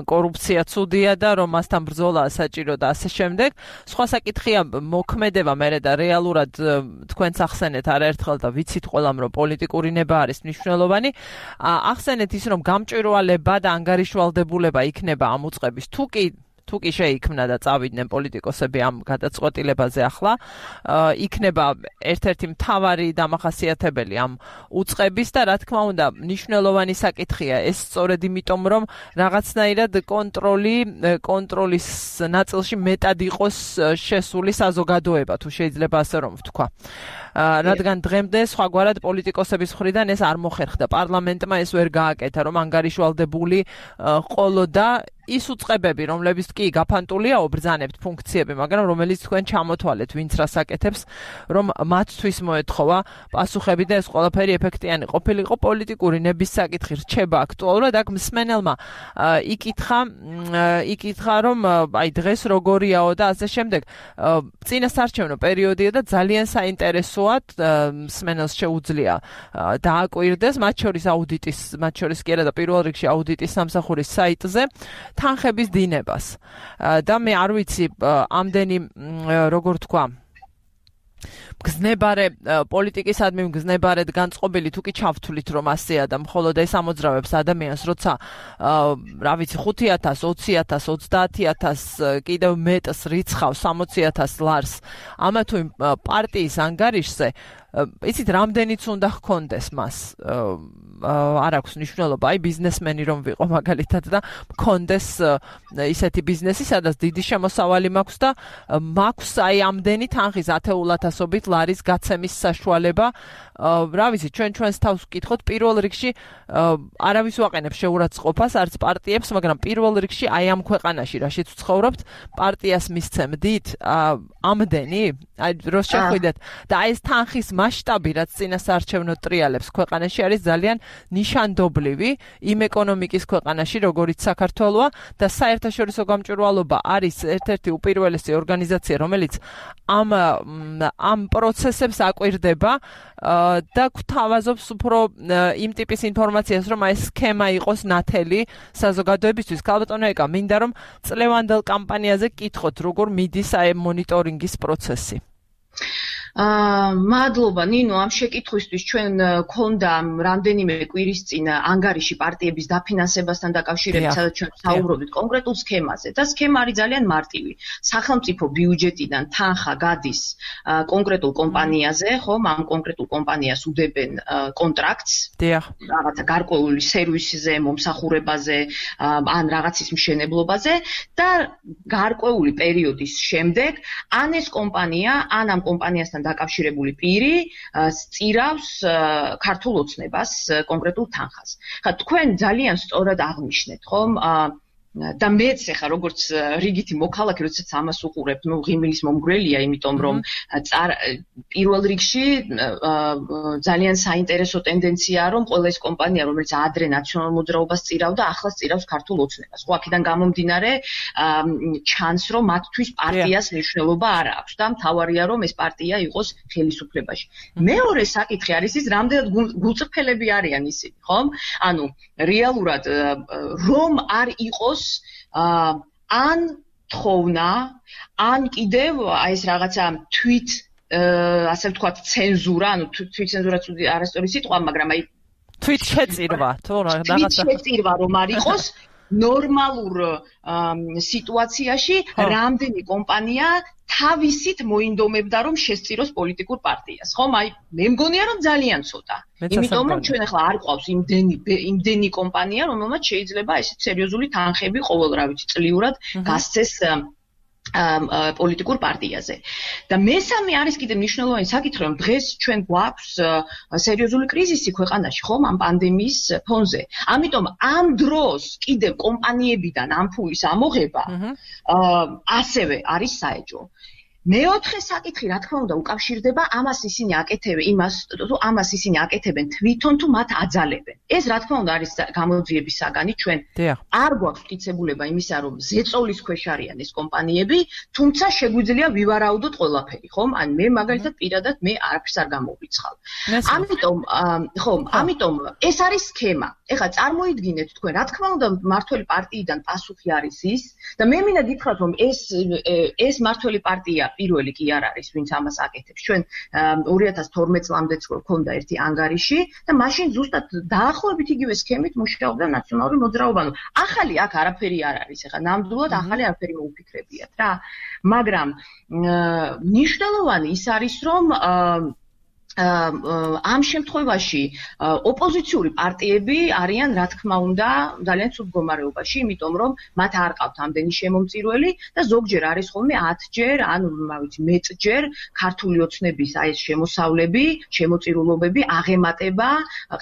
კორუფცია ცუდია და რომ მასთან ბრძოლა საჭირო და ასე შემდეგ. სხვა საკითხია მოქმედება მერე და რეალურად თქვენც ახსენეთ არაერთხელ და ვიცით ყველამ რომ პოლიტიკური ნება არის მნიშვნელოვანი. ახსენეთ ის რომ გამჭვირვალება და ანგარიშვალდებულება იქნება ამ უწყების თუ კი თუ კი შეიქმნა და წავიდნენ პოლიტიკოსები ამ გადაწყვეტილებაზე ახლა, იქნება ერთ-ერთი მთავარი დამახასიათებელი ამ უწყების და რა თქმა უნდა, მნიშვნელოვანი საკითხია ეს სწორედ იმიტომ, რომ რაღაცნაირად კონტროლი კონტროლის ნაწილში მეტად იყოს შესული საზოგადოება, თუ შეიძლება ასე რომ ვთქვა. რადგან დღემდე სხვაგვარად პოლიტიკოსების მხრიდან ეს არ მოხერხდა. პარლამენტმა ეს ვერ გააკეთა, რომ ანგარიშვალდებული ყოლოდა ის უწყებები, რომლებიც კი გაფანტულია ობრძანებთ ფუნქციები, მაგრამ რომელიც თქვენ ჩამოთვალეთ, ვინც რას აკეთებს, რომ მათთვის მოეთხოვა პასუხები და ეს ყველაფერი ეფექტიანი ყოფილიყო პოლიტიკური ნების საკითხი რჩება აქტუალურად. აქ მსმენელმა იკითხა, იკითხა, რომ აი დღეს როგორიაო და ასე შემდეგ. წინასარჩევნო პერიოდია და ძალიან საინტერესოა მსმენელს შეუძლია დააკვირდეს, მათ შორის აუდიტის, მათ შორის კი არა და პირველ რიგში აუდიტის სამსახურის საიტზე თანხების დინებას და მე არ ვიცი ამდენი როგორ თქვა მგზნებარე პოლიტიკისადმი მგზნებარედ განწყობილი თუ კი ჩავთვლით რომ ასეა და მხოლოდ ეს ამოძრავებს ადამიანს როცა რა ვიცი ხუთი ათასი, ოცი ათასი, ოცდაათი ათასი კიდევ მეტს რიცხავს სამოცი ათასი ლარს ამა თუ იმ პარტიის ანგარიშზე იცით რამდენიც უნდა ჰქონდეს მას არ აქვს მნიშვნელობა აი ბიზნესმენი რომ ვიყო მაგალითად და მქონდეს ისეთი ბიზნესი სადაც დიდი შემოსავალი მაქვს და მაქვს აი ამდენი თანხის ათეულათასობით ლარის გაცემის საშუალება რა ვიცი ჩვენ ჩვენს თავს ვკითხოთ პირველ რიგში არავის ვაყენებს შეურაცხყოფას არც პარტიებს მაგრამ პირველ რიგში აი ამ ქვეყანაში რაშიც ვცხოვრობთ პარტიას მისცემდით ამდენი აი დროს შეხვიდეთ და აი ეს თანხის მასშტაბი რაც წინასაარჩევნო ტრიალებს ქვეყანაში არის ძალიან ნიშანდობლივი იმ ეკონომიკის ქვეყანაში, როგორიც საქართველოა და საერთაშორისო გამჭვირვალობა არის ერთ-ერთი უპირველესი ორგანიზაცია, რომელიც ამ ამ პროცესებს აკვირდება და გვთავაზობს უფრო იმ ტიპის ინფორმაციას, რომ ეს სქემა იყოს ნათელი საზოგადოებისთვის. ქალბატონო ეკა, მინდა რომ წლევანდელ კამპანიაზე გკითხოთ, როგორ მიდის აი მონიტორინგის პროცესი. აა მადლობა ნინო, ამ შეკითხვისთვის ჩვენ გქონდა რამდენიმე კვირის წინ ანგარიში პარტიების დაფინანსებასთან დაკავშირებით, სადაც ჩვენ საუბრობდით კონკრეტულ სქემაზე და სქემა არის ძალიან მარტივი. სახელმწიფო ბიუჯეტიდან თანხა გადის კონკრეტულ კომპანიაზე, ხომ, ამ კონკრეტულ კომპანიას უდებენ კონტრაქტს, რაღაცა გარკვეული სერვისზე, მომსახურებაზე, ან რაღაცის მშენებლობაზე და გარკვეული პერიოდის შემდეგ ან ეს კომპანია, ან ამ კომპანიასთან დაკავშირებული პირი სწირავს ქართულ ოცნებას კონკრეტულ თანხას. ხა თქვენ ძალიან სწორად აღნიშნეთ, ხომ? და მეც ახლა როგორც რიგითი მოქალაქე, როდესაც ამას უყურებ, ნუ ღიმილის მომგვრელია, იმიტომ რომ პირველ რიგში ძალიან საინტერესო ტენდენციაა, რომ ყველა ეს კომპანია, რომელიც ადრე ნაციონალურ მოძრაობას წირავდა, ახლა სწირავს ქართულ ოცნებას. ხო, აქედან გამომდინარე ჩანს, რომ მათთვის პარტიას მნიშვნელობა არ აქვს და მთავარია, რომ ეს პარტია იყოს ხელისუფლებაში. მეორე საკითხი არის ის, რამდენად გულწრფელები არიან ისინი, ხომ? ანუ რეალურად რომ არ იყოს ან თხოვნა, ან კიდევ აი ეს რაღაცა თვით ასე ვთქვათ ცენზურა, ანუ თვითცენზურაც არასწორი სიტყვა, მაგრამ აი თვით შეწირვა, თუ რაღაცა თვით შეწირვა რომ არ იყოს ნორმალურ სიტუაციაში რამდენი კომპანია თავისით მოინდომებდა რომ შესწიროს პოლიტიკურ პარტიას. ხომ? აი მე მგონია რომ ძალიან ცოტა. იმიტომ რომ ჩვენ ახლა არ ყავს იმდენი იმდენი კომპანია, რომელმაც შეიძლება ესეთ სერიოზული თანხები ყოველ რა ვიცი წლიურად გასცეს პოლიტიკურ პარტიაზე. და მესამე არის კიდე მნიშვნელოვანი საკითხი, რომ დღეს ჩვენ გვაქვს სერიოზული კრიზისი ქვეყანაში, ხომ, ამ პანდემიის ფონზე. ამიტომ ამ დროს კიდევ კომპანიებიდან ამ ფულის ამოღება ასევე არის საეჭვო. მეოთხე საკითხი, რა თქმა უნდა, უკავშირდება ამას ისინი აკეთებენ, იმას, თუ ამას ისინი აკეთებენ თვითონ თუ მათ აძალებენ. ეს რა თქმა უნდა არის გამოძიების საგანი, ჩვენ არ გვაქვს მტკიცებულება იმისა, რომ ზეწოლის ქვეშ არიან ეს კომპანიები, თუმცა შეგვიძლია ვივარაუდოთ ყველაფერი, ხომ? ან მე მაგალითად პირადად მე არაფერს არ გამოვიცხავ. ამიტომ, ხომ, ამიტომ ეს არის სქემა. ეხლა წარმოიდგინეთ თქვენ, რა თქმა უნდა, მართველი პარტიიდან პასუხი არის ის და მე მინდა გითხრათ, რომ ეს ეს მართველი პარტია პირველი კი არ არის, ვინც ამას აკეთებს. ჩვენ ორი ათას თორმეტ წლამდეც გვქონდა ერთი ანგარიში და მაშინ ზუსტად დაახლოებით იგივე სქემით მუშაობდა ნაციონალური მოძრაობა. ახალი აქ არაფერი არ არის, ეხლა ნამდვილად ახალი არაფერი მოუფიქრებიათ რა. მაგრამ მნიშვნელოვანი ის არის, რომ ამ შემთხვევაში ოპოზიციური პარტიები არიან, რა თქმა უნდა, ძალიან ცუდ მდგომარეობაში, იმიტომ რომ მათ არ ყავთ ამდენი შემომწირველი და ზოგჯერ არის ხოლმე ათჯერ, ან რა ვიცი, მეტჯერ ქართული ოცნების აი ეს შემოსავლები, შემოწირულობები აღემატება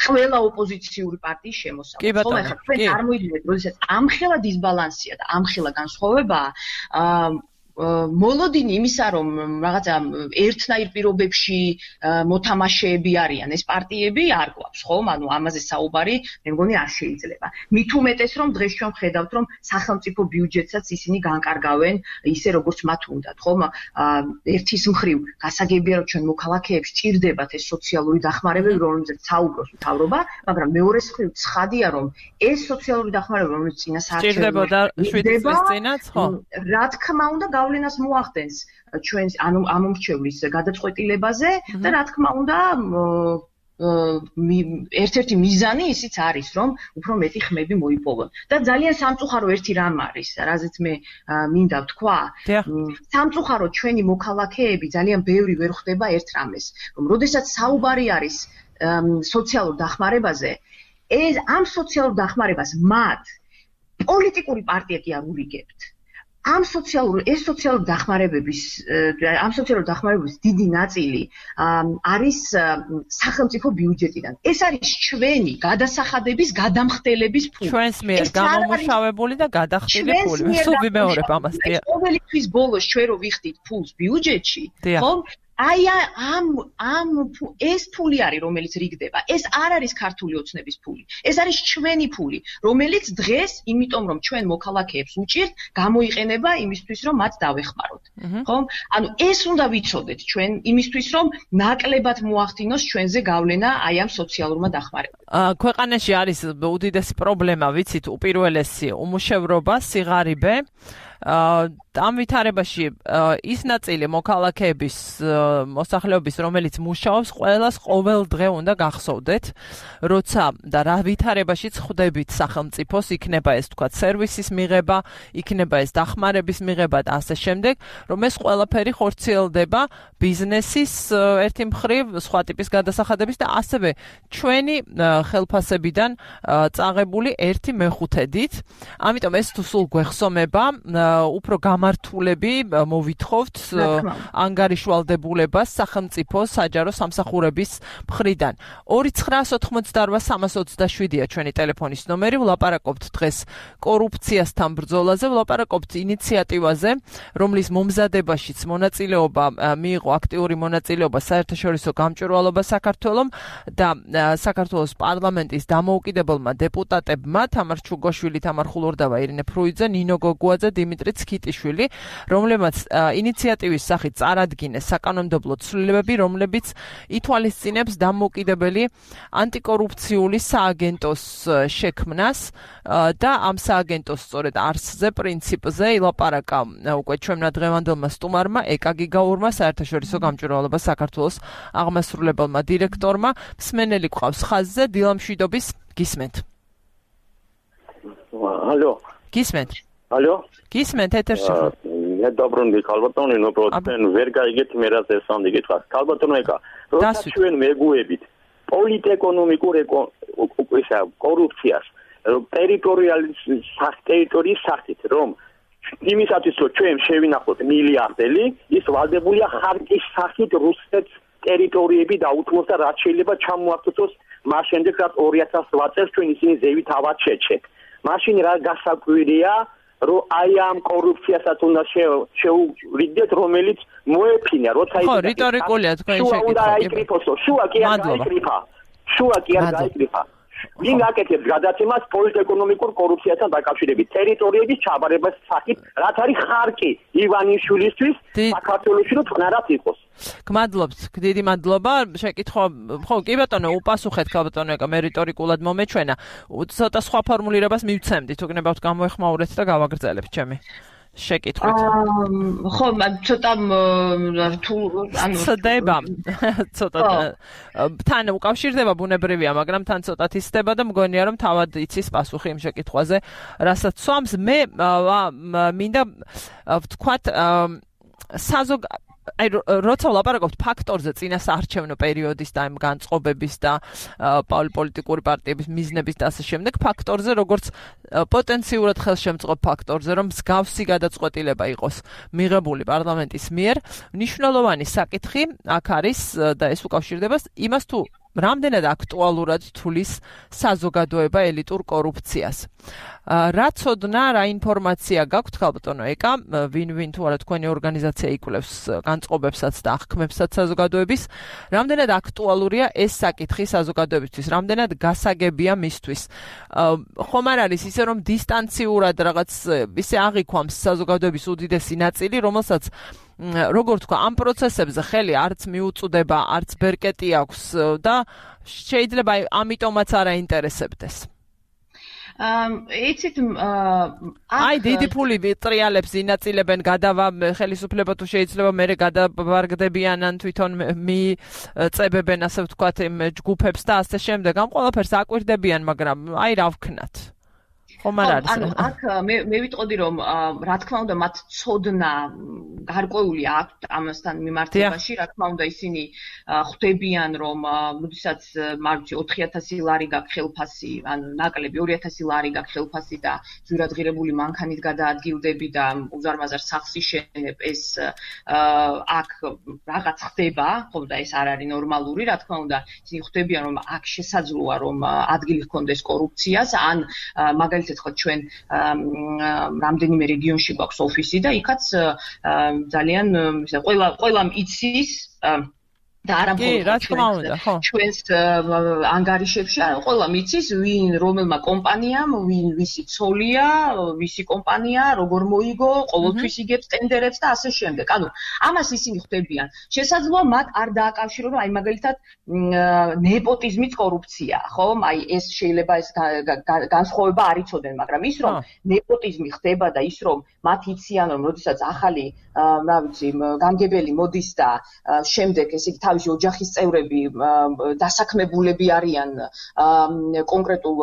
ყველა ოპოზიციური პარტიის შემოსავლებს. ხო, ახლა თქვენ წარმოიდგინეთ, როდესაც ამხელა დისბალანსია და ამხელა განსხვავებაა, მოლოდინი იმისა, რომ რაღაცა ერთნაირ პირობებში მოთამაშეები არიან ეს პარტიები, არ გვაქვს, ხომ? ანუ ამაზე საუბარი, მე მგონი არ შეიძლება. მით უმეტეს, რომ დღეს ჩვენ ვხედავთ, რომ სახელმწიფო ბიუჯეტსაც ისინი განკარგავენ ისე, როგორც მათ უნდათ, ხომ? ერთის მხრივ გასაგებია, რომ ჩვენ მოქალაქეებს ჭირდებათ ეს სოციალური დახმარებები, რომელზეც საუბრობს მთავრობა, მაგრამ მეორე მხრივ ცხადია, რომ ეს სოციალური დახმარება, რომელიც წინასაარჩევნო ჭირდებოდა შვიდი წლის წინაც, ხო? რა თქმა უნდა, გავლენას მოახდენს ჩვენს ანუ ამომრჩევლის გადაწყვეტილებაზე და რა თქმა უნდა ერთ-ერთი მიზანი ისიც არის, რომ უფრო მეტი ხმები მოიპოვონ. და ძალიან სამწუხარო ერთი რამ არის, რაზეც მე მინდა ვთქვა, სამწუხარო ჩვენი მოქალაქეები ძალიან ბევრი ვერ ხვდება ერთ რამეს, რომ როდესაც საუბარი არის სოციალურ დახმარებაზე, ეს ამ სოციალურ დახმარებას მათ პოლიტიკური პარტია კი არ ურიგებთ. ამ სოციალურ ეს სოციალური დახმარებების ამ სოციალური დახმარებების დიდი ნაწილი არის სახელმწიფო ბიუჯეტიდან. ეს არის ჩვენი გადასახადების გადამხდელების ფული. ჩვენს მიერ გამომუშავებული და გადახდილი ფული. სულ ვიმეორებ ამას. ყოველი თვის ბოლოს ჩვენ რო ვიხდით ფულს ბიუჯეტში, ხო? აი ამ ამ ეს ფული არის, რომელიც რიგდება. ეს არ არის ქართული ოცნების ფული. ეს არის ჩვენი ფული, რომელიც დღეს, იმიტომ რომ ჩვენ მოქალაქეებს უჭირთ, გამოიყენება იმისთვის, რომ მათ დავეხმაროთ. ხო? ანუ ეს უნდა ვიცოდეთ ჩვენ იმისთვის, რომ ნაკლებად მოახდინოს ჩვენზე გავლენა აი ამ სოციალურმა დახმარებამ. ქვეყანაში არის უდიდესი პრობლემა, ვიცით, უპირველესი უმუშევრობა, სიღარიბე. ამ ვითარებაში ის ნაწილი მოქალაქეების მოსახლეობის, რომელიც მუშაობს, ყველას ყოველ დღე უნდა გახსოვდეთ, როცა და რა ვითარებაშიც ხვდებით სახელმწიფოს, იქნება ეს თქვა სერვისის მიღება, იქნება ეს დახმარების მიღება და ასე შემდეგ, რომ ეს ყველაფერი ხორციელდება ბიზნესის ერთი მხრივ, სხვა ტიპის გადასახადების და ასევე ჩვენი ხელფასებიდან წაღებული ერთი მეხუთედით. ამიტომ ეს თუ სულ გვეხსომება, უფრო გამართულები მოვითხოვთ ანგარიშვალდებულებას სახელმწიფო საჯარო სამსახურების მხრიდან. ორი ცხრაას ოთხმოცდაორვა სამას ოცდაშვიდია ჩვენი ტელეფონის ნომერი. ვლაპარაკობთ დღეს კორუფციასთან ბრძოლაზე, ვლაპარაკობთ ინიციატივაზე, რომლის მომზადებაშიც მონაწილეობა მიიღო აქტიური მონაწილეობა საერთაშორისო გამჭვირვალობა საქართველომ და საქართველოს პარლამენტის დამოუკიდებელმა დეპუტატებმა თამარ ჩუგოშვილი, თამარ ხულურდავა, ირინე ფრუიძე, ნინო გოგუაძე, დიმიტრი ქიტიშვილი, რომლებმაც ინიციატივის სახით წარადგინეს საკანონმდებლო ცვლილებები, რომლებიც ითვალისწინებს დამოუკიდებელი ანტიკორუფციული სააგენტოს შექმნას და ამ სააგენტოს სწორედ არსზე, პრინციპზე ილაპარაკა უკვე ჩვენმა დღევანდელმა სტუმარმა, ეკა გიგაურმა, საერთაშორისო გამჭვირვალობა საქართველოს აღმასრულებელმა დირექტორმა. მსმენელი გვყავს ხაზზე, დილამშვიდობის, გისმენთ. ალო. გისმენთ. ალო. გისმენთ ეთერში ხო? მე დაბრუნდი ქალბატონი, ნუ პროცენ ვერ გაიგეთ მე რა ზესამდე გითხრა. ქალბატონო ეკა, როცა ჩვენ მეგუებით პოლიტეკონომიკურ ისა კორუფციას, ტერიტორიალის ტერიტორიის სახით, რომ იმისათვის რომ ჩვენ შევინახოთ მილიარდელი, ის ვალდებულია ხარკის სახით რუსეთს ტერიტორიები დაუთმოს და რაც შეიძლება ჩამოართოს მას შემდეგ რაც ორი ათას რვა წელს ჩვენ ისინი ზევით ავად შეჩეთ. მაშინ რა გასაკვირია, რომ აი ამ კორუფციასაც უნდა შეურიგდეთ, რომელიც მოეფინა, როცა ის ხო, რიტორიკულია თქვენი შეკითხვა. უნდა აიკრიფოსო, შუა კი არ გაიკრიფა. შუა კი არ გაიკრიფა. ვინ აკეთებს გადაცემას პოლიტეკონომიკურ კორუფციასთან დაკავშირებით, ტერიტორიების ჩაბარებას სახით, რაც არის ხარკი ივანიშვილისთვის საქართველოში რომ თნარად იყოს. გმადლობთ, დიდი მადლობა. შეკითხვა, ხო, კი ბატონო, უპასუხეთ ქალბატონო, ეკა მე რიტორიკულად მომეჩვენა. ცოტა სხვა ფორმულირებას მივცემდით, უგნებავთ გამოეხმაურეთ და გავაგრძელებთ ჩემი შეკითხვით. ხო, ცოტა რთულ, ანუ ცდება. ცოტა თან უკავშირდება ბუნებრივია, მაგრამ თან ცოტა ისდება და მგონია რომ თავად იცის პასუხი იმ შეკითხვაზე, რასაც სვამს. მე მინდა ვთქვათ საზოგ აი როცა ვლაპარაკობთ ფაქტორზე წინა საარჩევნო პერიოდის და იმ განწყობების და პოლიტიკური პარტიების მიზნების და ასე შემდეგ, ფაქტორზე როგორც პოტენციურად ხელშემწყობ ფაქტორზე, რომ მსგავსი გადაწყვეტილება იყოს მიღებული პარლამენტის მიერ, მნიშვნელოვანი საკითხი აქ არის და ეს უკავშირდება იმას თუ რამდენად აქტუალურად თulis საზოგადოება ელიტურ კორუფციას. რა ცოდნა, რა ინფორმაცია გაქვთ ქალბატონო ეკა, ვინ ვინ თუ არა თქვენი ორგანიზაცია იკვლევს განწყობებსაც და აღქმებსაც საზოგადოების, რამდენად აქტუალურია ეს საკითხი საზოგადოებისთვის, რამდენად გასაგებია მისთვის. ხომ არ არის ისე რომ დისტანციურად რაღაც ისე აღიქვამს საზოგადოების უდიდესი ნაწილი, რომელსაც როგორ თქვა, ამ პროცესებზე ხელი არც მიუწვდება, არც ბერკეტი აქვს და შეიძლება ამიტომაც არ აინტერესებდეს. იცით აი დიდი ფული ვიტრიალებს ინაწილებენ გადავა ხელისუფლება თუ შეიძლება მერე გადაბარგდებიან ან თვითონ მიწებებენ ასე ვთქვათ იმ ჯგუფებს და ასე შემდეგ ამ ყველაფერს აკვირდებიან, მაგრამ აი რა ვქნათ. ხომ არ არის. ანუ აქ მე მე ვიტყოდი რომ რა თქმა უნდა მათ ცოდნა გარკვეული აქვთ ამასთან მიმართებაში, რა თქმა უნდა ისინი ხვდებიან რომ როდესაც მარჩი ოთხი ათასი ლარი გაქვს ხელფასი, ანუ ნაკლები ორი ათასი ლარი გაქვს ხელფასი და ზურადღირებული მანქანით გადაადგილდები და უზარმაზარ სახლს იშენებ, ეს აქ რაღაც ხდება, ხო და ეს არ არის ნორმალური, რა თქმა უნდა ისინი ხვდებიან რომ აქ შესაძლოა რომ ადგილი ჰქონდეს კორუფციას, ან მაგალითად ხო ჩვენ რამდენიმე რეგიონში გვაქვს ოფისი და იქაც ძალიან ყველა ყველამ იცის და არა მხოლოდ ჩვენს ანგარიშებში, არა, ყველა მიცის, ვინ რომელმა კომპანიამ, ვინ ვისი ცოლია, ვისი კომპანია, როგორ მოიგო, ყოველთვის იგებს ტენდერებს და ასე შემდეგ. ანუ ამას ისინი ხვდებიან. შესაძლოა მათ არ დააკავშირონ, აი მაგალითად ნეპოტიზმიც კორუფციაა, ხო? აი ეს შეიძლება ეს განსხვავება არ იცოდნენ, მაგრამ ის რომ ნეპოტიზმი ხდება და ის რომ მათ იციან, რომ როდესაც ახალი, რა ვიცი, გამგებელი მოდის და შემდეგ ესე იგი თავისი ოჯახის წევრები დასაქმებულები არიან კონკრეტულ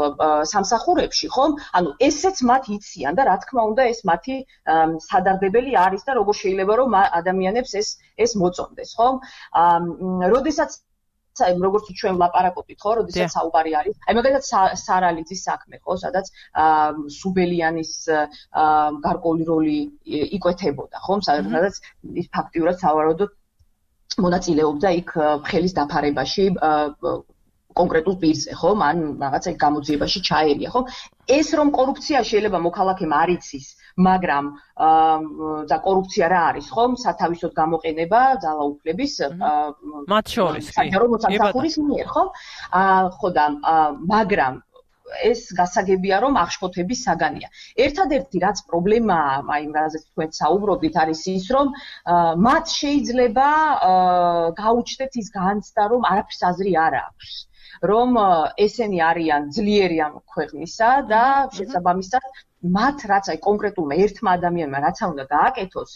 სამსახურებში, ხომ? ანუ ესეც მათ იციან და რა თქმა უნდა ეს მათი სადარდებელი არის და როგორ შეიძლება რომ ადამიანებს ეს ეს მოწონდეს, ხომ? როდესაც აი როგორც ჩვენ ვლაპარაკობთ, ხო, როდესაც საუბარი არის. აი მაგალითად სარალიძის საქმე, ხო, სადაც სუბელიანის გარკვეული როლი იკვეთებოდა, ხო, სადაც ის ფაქტიურად სავარაუდოდ მონაწილეობდა იქ ხელის დაფარებაში კონკრეტულ პირზე, ხო, მან რაღაცა გამოძიებაში ჩაერია, ხო? ეს რომ კორუფცია შეიძლება მოქალაქემ არ იცის, მაგრამ და კორუფცია რა არის, ხო? სათავისოდ გამოყენება ძალაუფლების მათ შორის, კი. საჯარო მოსამსახურის მიერ, ხო? ხო და მაგრამ ეს გასაგებია რომ აღშფოთების საგანია. ერთადერთი რაც პრობლემაა, აი რაზეც თქვენ საუბრობთ, არის ის რომ მათ შეიძლება გაუჩნდეთ ის განცდა რომ არაფერს აზრი არ აქვს. რომ ესენი არიან ძლიერი ამ ქვეყნისა და შესაბამისად მათ რაც აი კონკრეტულმა ერთმა ადამიანმა რაც უნდა გააკეთოს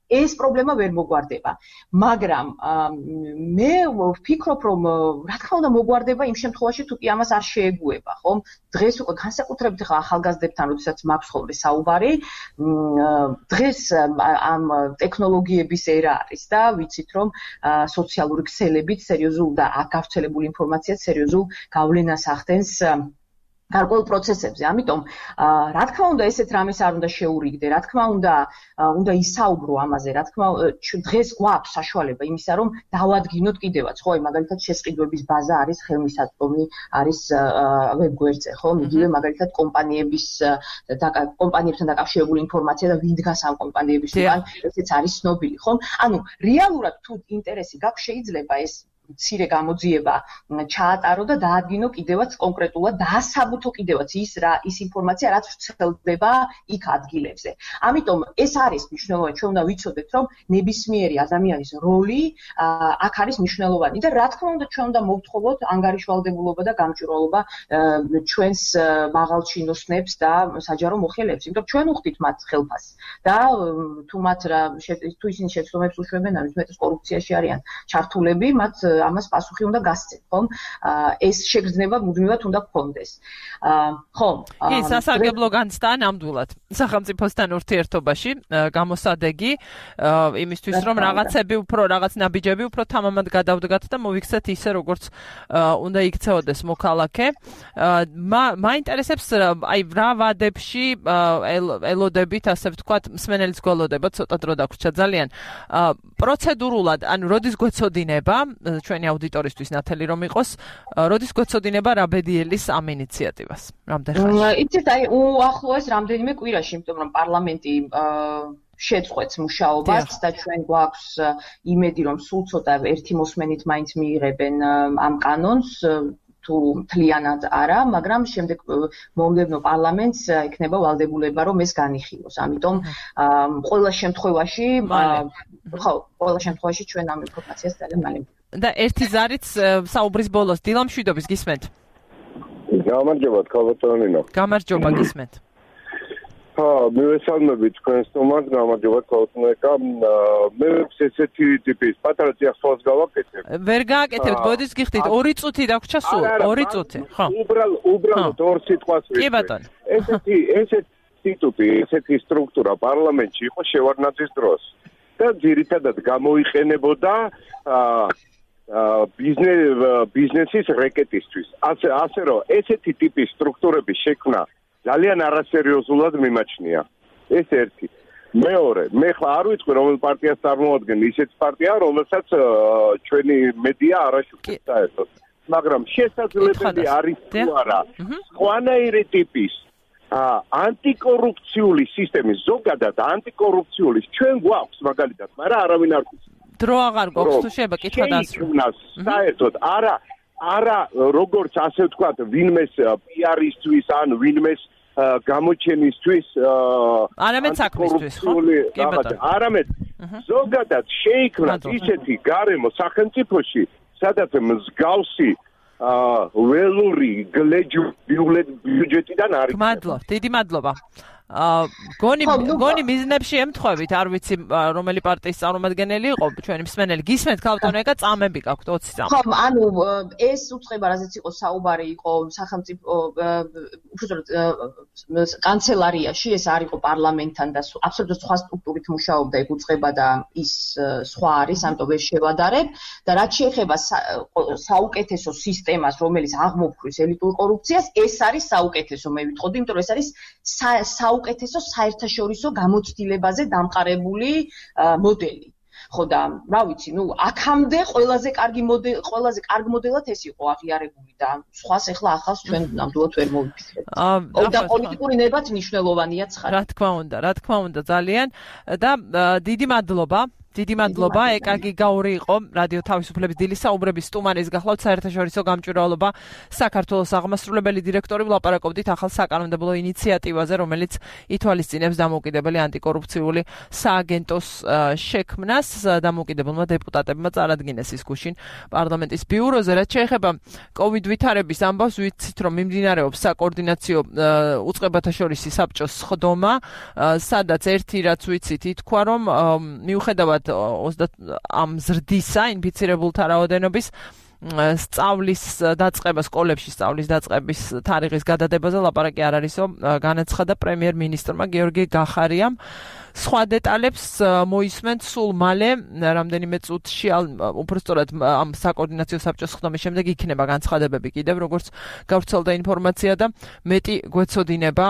ეს პრობლემა ვერ მოგვარდება. მაგრამ მე ვფიქრობ რომ რა თქმა უნდა მოგვარდება იმ შემთხვევაში თუ კი ამას არ შეეგუება, ხომ? დღეს უკვე განსაკუთრებით ხა ახალგაზრდებთან როდესაც მაქვს ხოლმე საუბარი, დღეს ამ ტექნოლოგიების ერა არის და ვიცით რომ სოციალური ქსელებით სერიოზულ და გავრცელებული ინფორმაციაც სერიოზულ გავლენას ახდენს გარკვეულ პროცესებზე. ამიტომ რა თქმა უნდა ესეთ რამეს არ უნდა შეურიგდე, რა თქმა უნდა უნდა ისაუბრო ამაზე, რა თქმა უნდა დღეს გვაქვს საშუალება იმისა რომ დავადგინოთ კიდევაც, ხო, მაგალითად შესყიდვების ბაზა არის ხელმისაწვდომი არის ვებგვერდზე, ხო, იგივე მაგალითად კომპანიების და კომპანიებთან დაკავშირებული ინფორმაცია და ვინ დგას ამ კომპანიების უკან, ესეც არის ცნობილი, ხო? ანუ რეალურად თუ ინტერესი გაქვს შეიძლება ეს მცირე გამოძიება ჩაატარო და დაადგინო კიდევაც კონკრეტულად დაასაბუთო კიდევაც ის რა ის ინფორმაცია რაც ვრცელდება იქ ადგილებზე. ამიტომ ეს არის მნიშვნელოვანი, ჩვენ უნდა ვიცოდეთ რომ ნებისმიერი ადამიანის როლი აქ არის მნიშვნელოვანი და რა თქმა უნდა ჩვენ უნდა მოვთხოვოთ ანგარიშვალდებულობა და გამჭვირვალობა ჩვენს მაღალჩინოსნებს და საჯარო მოხელეებს, იმიტომ რომ ჩვენ უხდით მათ ხელფასს და თუ მათ თუ ისინი შეცდომებს უშვებენ, ამის მეტად კორუფციაში არიან ჩართულები, მათ ამას პასუხი უნდა გასცენ, ხომ? ეს შეგრძნება მუდმივად უნდა გქონდეს. ხომ? კი, სასარგებლო განცდა ნამდვილად სახელმწიფოსთან ურთიერთობაში გამოსადეგი იმისთვის რომ რაღაცები უფრო რაღაც ნაბიჯები უფრო თამამად გადავდგათ და მოვიქცეთ ისე როგორც უნდა იქცეოდეს მოქალაქე. მაინტერესებს აი რა ვადებში ელოდებით, ასე ვთქვათ, მსმენელიც გველოდება, ცოტა დრო დაგვრჩა ძალიან. პროცედურულად, ანუ როდის გვეცოდინება ჩვენი აუდიტორისთვის ნათელი რომ იყოს, როდის გვეცოდინება რაბედიელის ამ ინიციატივას? რამდენ ხანში? იცით, აი უახლოეს რამდენიმე კვირაში, იმიტომ რომ პარლამენტი შეწყვეტს მუშაობას და ჩვენ გვაქვს იმედი რომ სულ ცოტა ერთი მოსმენით მაინც მიიღებენ ამ კანონს თუ მთლიანად არა, მაგრამ შემდეგ მომდევნო პარლამენტს იქნება ვალდებულება რომ ეს განიხილოს. ამიტომ ყველა შემთხვევაში ხო, ყველა შემთხვევაში ჩვენ ამ ინფორმაციას ძალიან მალე და ერთი ზარიც საუბრის ბოლოს დილამშვიდობის გისმენთ? გამარჯობა, ქალბატონინო. გამარჯობა, გისმენთ. ჰა, მივესალმებით თქვენს თომას, გამარჯობა ქალბატონიკა. მე ესეთი ტიპის პატარა წიაღწევას გავაკეთებ. ვერ გააკეთებთ, ბოდის გიხდით, ორი წუთი დაგვრჩა სულ, ორი წუთი, ხო? უბრალოდ, უბრალოდ ორ სიტყვას ვიტყვი. კი ბატონო. ესეთი, ესეთი ინსტიტუტი, ესეთი სტრუქტურა პარლამენტში იყო შევარდნაძის დროს. და ძირითადად გამოიყენებოდა ბიზნესის რეკეტისთვის. ასე ასე რომ ესეთი ტიპის სტრუქტურების შექმნა ძალიან არასერიოზულად მიმაჩნია. ეს ერთი. მეორე, მე ხლა არ ვიცი რომელ პარტიას წარმოადგენ, ისეთ პარტია, რომელსაც ჩვენი მედია არაშუქებს საერთოდ. მაგრამ შესაძლებელი არის თუ არა სხვანაირი ტიპის ანტიკორუფციული სისტემის, ზოგადად ანტიკორუფციული ჩვენ გვაქვს მაგალითად, მაგრამ არავინ არ გვიცის. დრო აღარ გვაქვს თუ შეიძლება კითხვა დასრულდეს. საერთოდ არა არა როგორც ასე ვთქვათ, ვინმეს პი-არისთვის ან ვინმეს გამოჩენისთვის არამედ საქმისთვის, ხო? კი ბატონო. არამედ ზოგადად შეიქმნათ ისეთი გარემო სახელმწიფოში, სადაც მსგავსი ველური გლეჯი ბიუჯეტიდან არის. მადლობა, დიდი მადლობა. გონი გონი მიზნებში ემთხვევით, არ ვიცი რომელი პარტიის წარმომადგენელი იყო ჩვენი მსმენელი. გისმენთ ქალბატონო ეკა წამები გაქვთ ოცი წამი. ხო, ანუ ეს უწყება, რაზეც იყო საუბარი, იყო სახელმწიფო უბრალოდ კანცელარიაში, ეს არ იყო პარლამენტთან და აბსოლუტურად სხვა სტრუქტურით მუშაობდა ეგ უწყება და ის სხვა არის, ამიტომ ეს შევადარებ და რაც შეეხება საუკეთესო სისტემას, რომელიც აღმოფხვის ელიტურ კორუფციას, ეს არის საუკეთესო, მე ვიტყოდი, იმიტომ რომ ეს არის საუკეთესო საერთაშორისო გამოცდილებაზე დამყარებული მოდელი. ხო და რა ვიცი, ნუ აქამდე ყველაზე კარგი მოდელი, ყველაზე კარგ მოდელად ეს იყო აღიარებული და სხვას ახლა ახალს ჩვენ ნამდვილად ვერ მოვიფიქრებთ. და პოლიტიკური ნებაც მნიშვნელოვანია ცხადად. რა თქმა უნდა, რა თქმა უნდა ძალიან და დიდი მადლობა. დიდი მადლობა, ეკაგი გაური იყო რადიო თავისუფლების დილის საუბრების სტუმარის გახლავთ საერთაშორისო გამჭვირვალობა საქართველოს აღმასრულებელი დირექტორი ვლაპარაკობდით ახალ საკანონმდებლო ინიციატივაზე, რომელიც ითვალისწინებს დამოუკიდებელი ანტიკორუფციული სააგენტოს შექმნას. დამოუკიდებელმა დეპუტატებმა წარადგინეს ის გუშინ პარლამენტის ბიუროზე. რაც შეეხება კოვიდ ვითარების ამბავს, ვიცით რომ მიმდინარეობს საკოორდინაციო უწყებათა შორისი საბჭოს სხდომა, სადაც ერთი რაც ვიცით ითქვა რომ მიუხედავად ამ ზრდისა ინფიცირებულთა რაოდენობის სწავლის დაწყება სკოლებში სწავლის დაწყების თარიღის გადადებაზე ლაპარაკი არ არისო, განაცხადა პრემიერ-მინისტრმა გიორგი გახარიამ. სხვა დეტალებს მოისმენთ სულ მალე, რამდენიმე წუთში, უბრალოდ ამ საკოორდინაციო საბჭოს სხდომის შემდეგ იქნება განცხადებები კიდევ, როგორც გავრცელდა ინფორმაცია და მეტი გვეცოდინება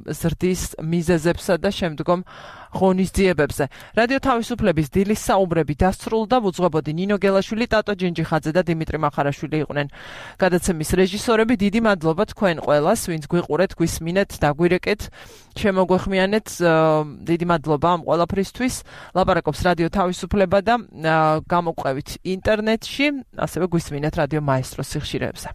ზრდის მიზეზებსა და შემდგომ ღონისძიებებზე. რადიო თავისუფლების დილის საუბრები დასრულდა, ვუძღვებოდი ნინო გელაშვილი, ტატო ჯინჯიხაძე და დიმიტრი მახარაშვილი იყვნენ გადაცემის რეჟისორები. დიდი მადლობა თქვენ ყველას, ვინც გვიყურეთ, გვისმინეთ, დაგვირეკეთ, შემოგვეხმიანეთ. დიდი მადლობა ამ ყველაფრისთვის. ლაპარაკობს რადიო თავისუფლება და გამოგვყევით ინტერნეტში, ასევე გვისმინეთ რადიო მაესტროს სიხშირეებზე.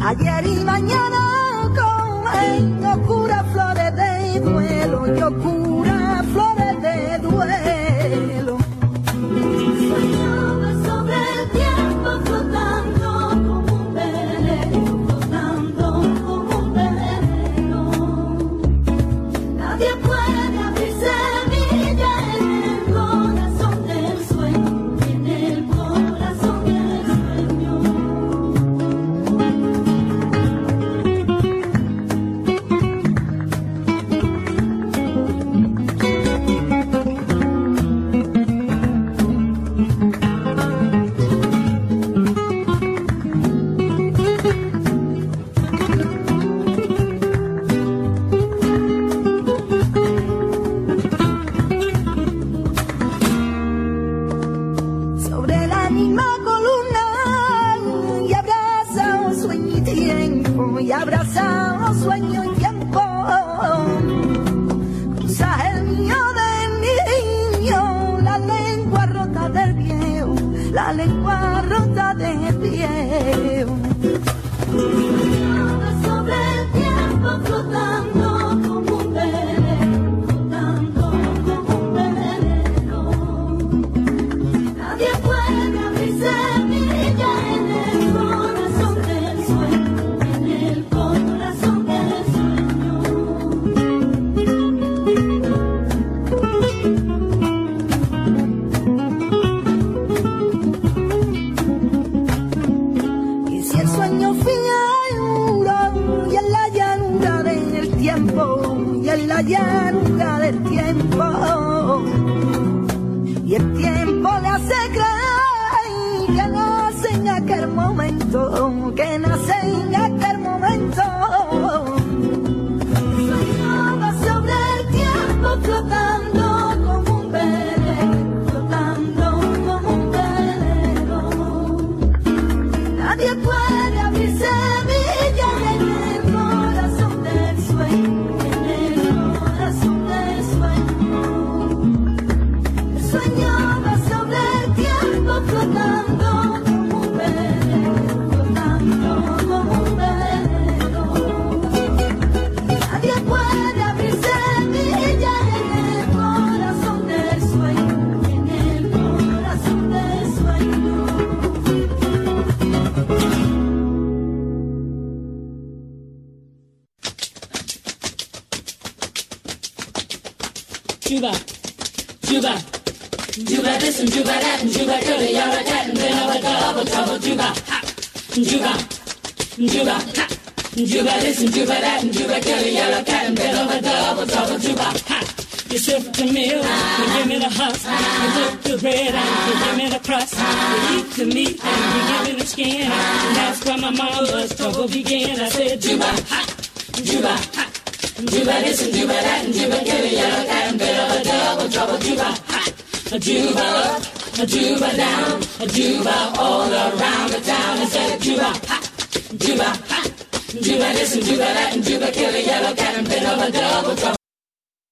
Ayer y mañana con locura flores de duelo, locura flores de duelo. Soñaba sobre el tiempo flotando como un velero, flotando como un velero. Nadie puede abrir semilla en el corazón del sueño, en el corazón del sueño. Sobre la misma columna y abraza un sueño y tiempo, y abraza un sueño y tiempo. Cruza el mío del niño, la lengua rota del viejo, la lengua rota del viejo. Soñaba sobre el tiempo flotando como un velero, flotando como un velero. Nadie puede abrir semilla en el corazón del sueño, en el corazón del sueño. Y si el sueño finuro y en la llanura del tiempo, y en la llanura del tiempo. Y el tiempo le hace creer que nace en aquel momento, que nace en aquel momento. Soñaba sobre el tiempo flotando como un velero, flotando como un velero. Nadie puede abrir semilla en el corazón del sueño, en el corazón del sueño. Soñaba Juba, Juba, Juba this and Juba that and Juba kill the yellow cat and then over double trouble. Juba, ha, Juba, Juba, ha, Juba this and Juba that and Juba kill the yellow cat and then over double trouble. Juba, ha. You sip the milk, you give me the husk, you cook the bread and you give me the crust, you eat the meat and you give me the skin, and that's where my mama's trouble began. I said, Juba, ha, Juba, ha, Juba this and Juba that and Juba kill a yellow cat and bit of a double trouble. Juba, ha, a Juba up, a Juba down, a Juba all around the town. I said, Juba, ha, Juba, ha, Juba this and Juba that and Juba kill a yellow cat and bit of a double trouble.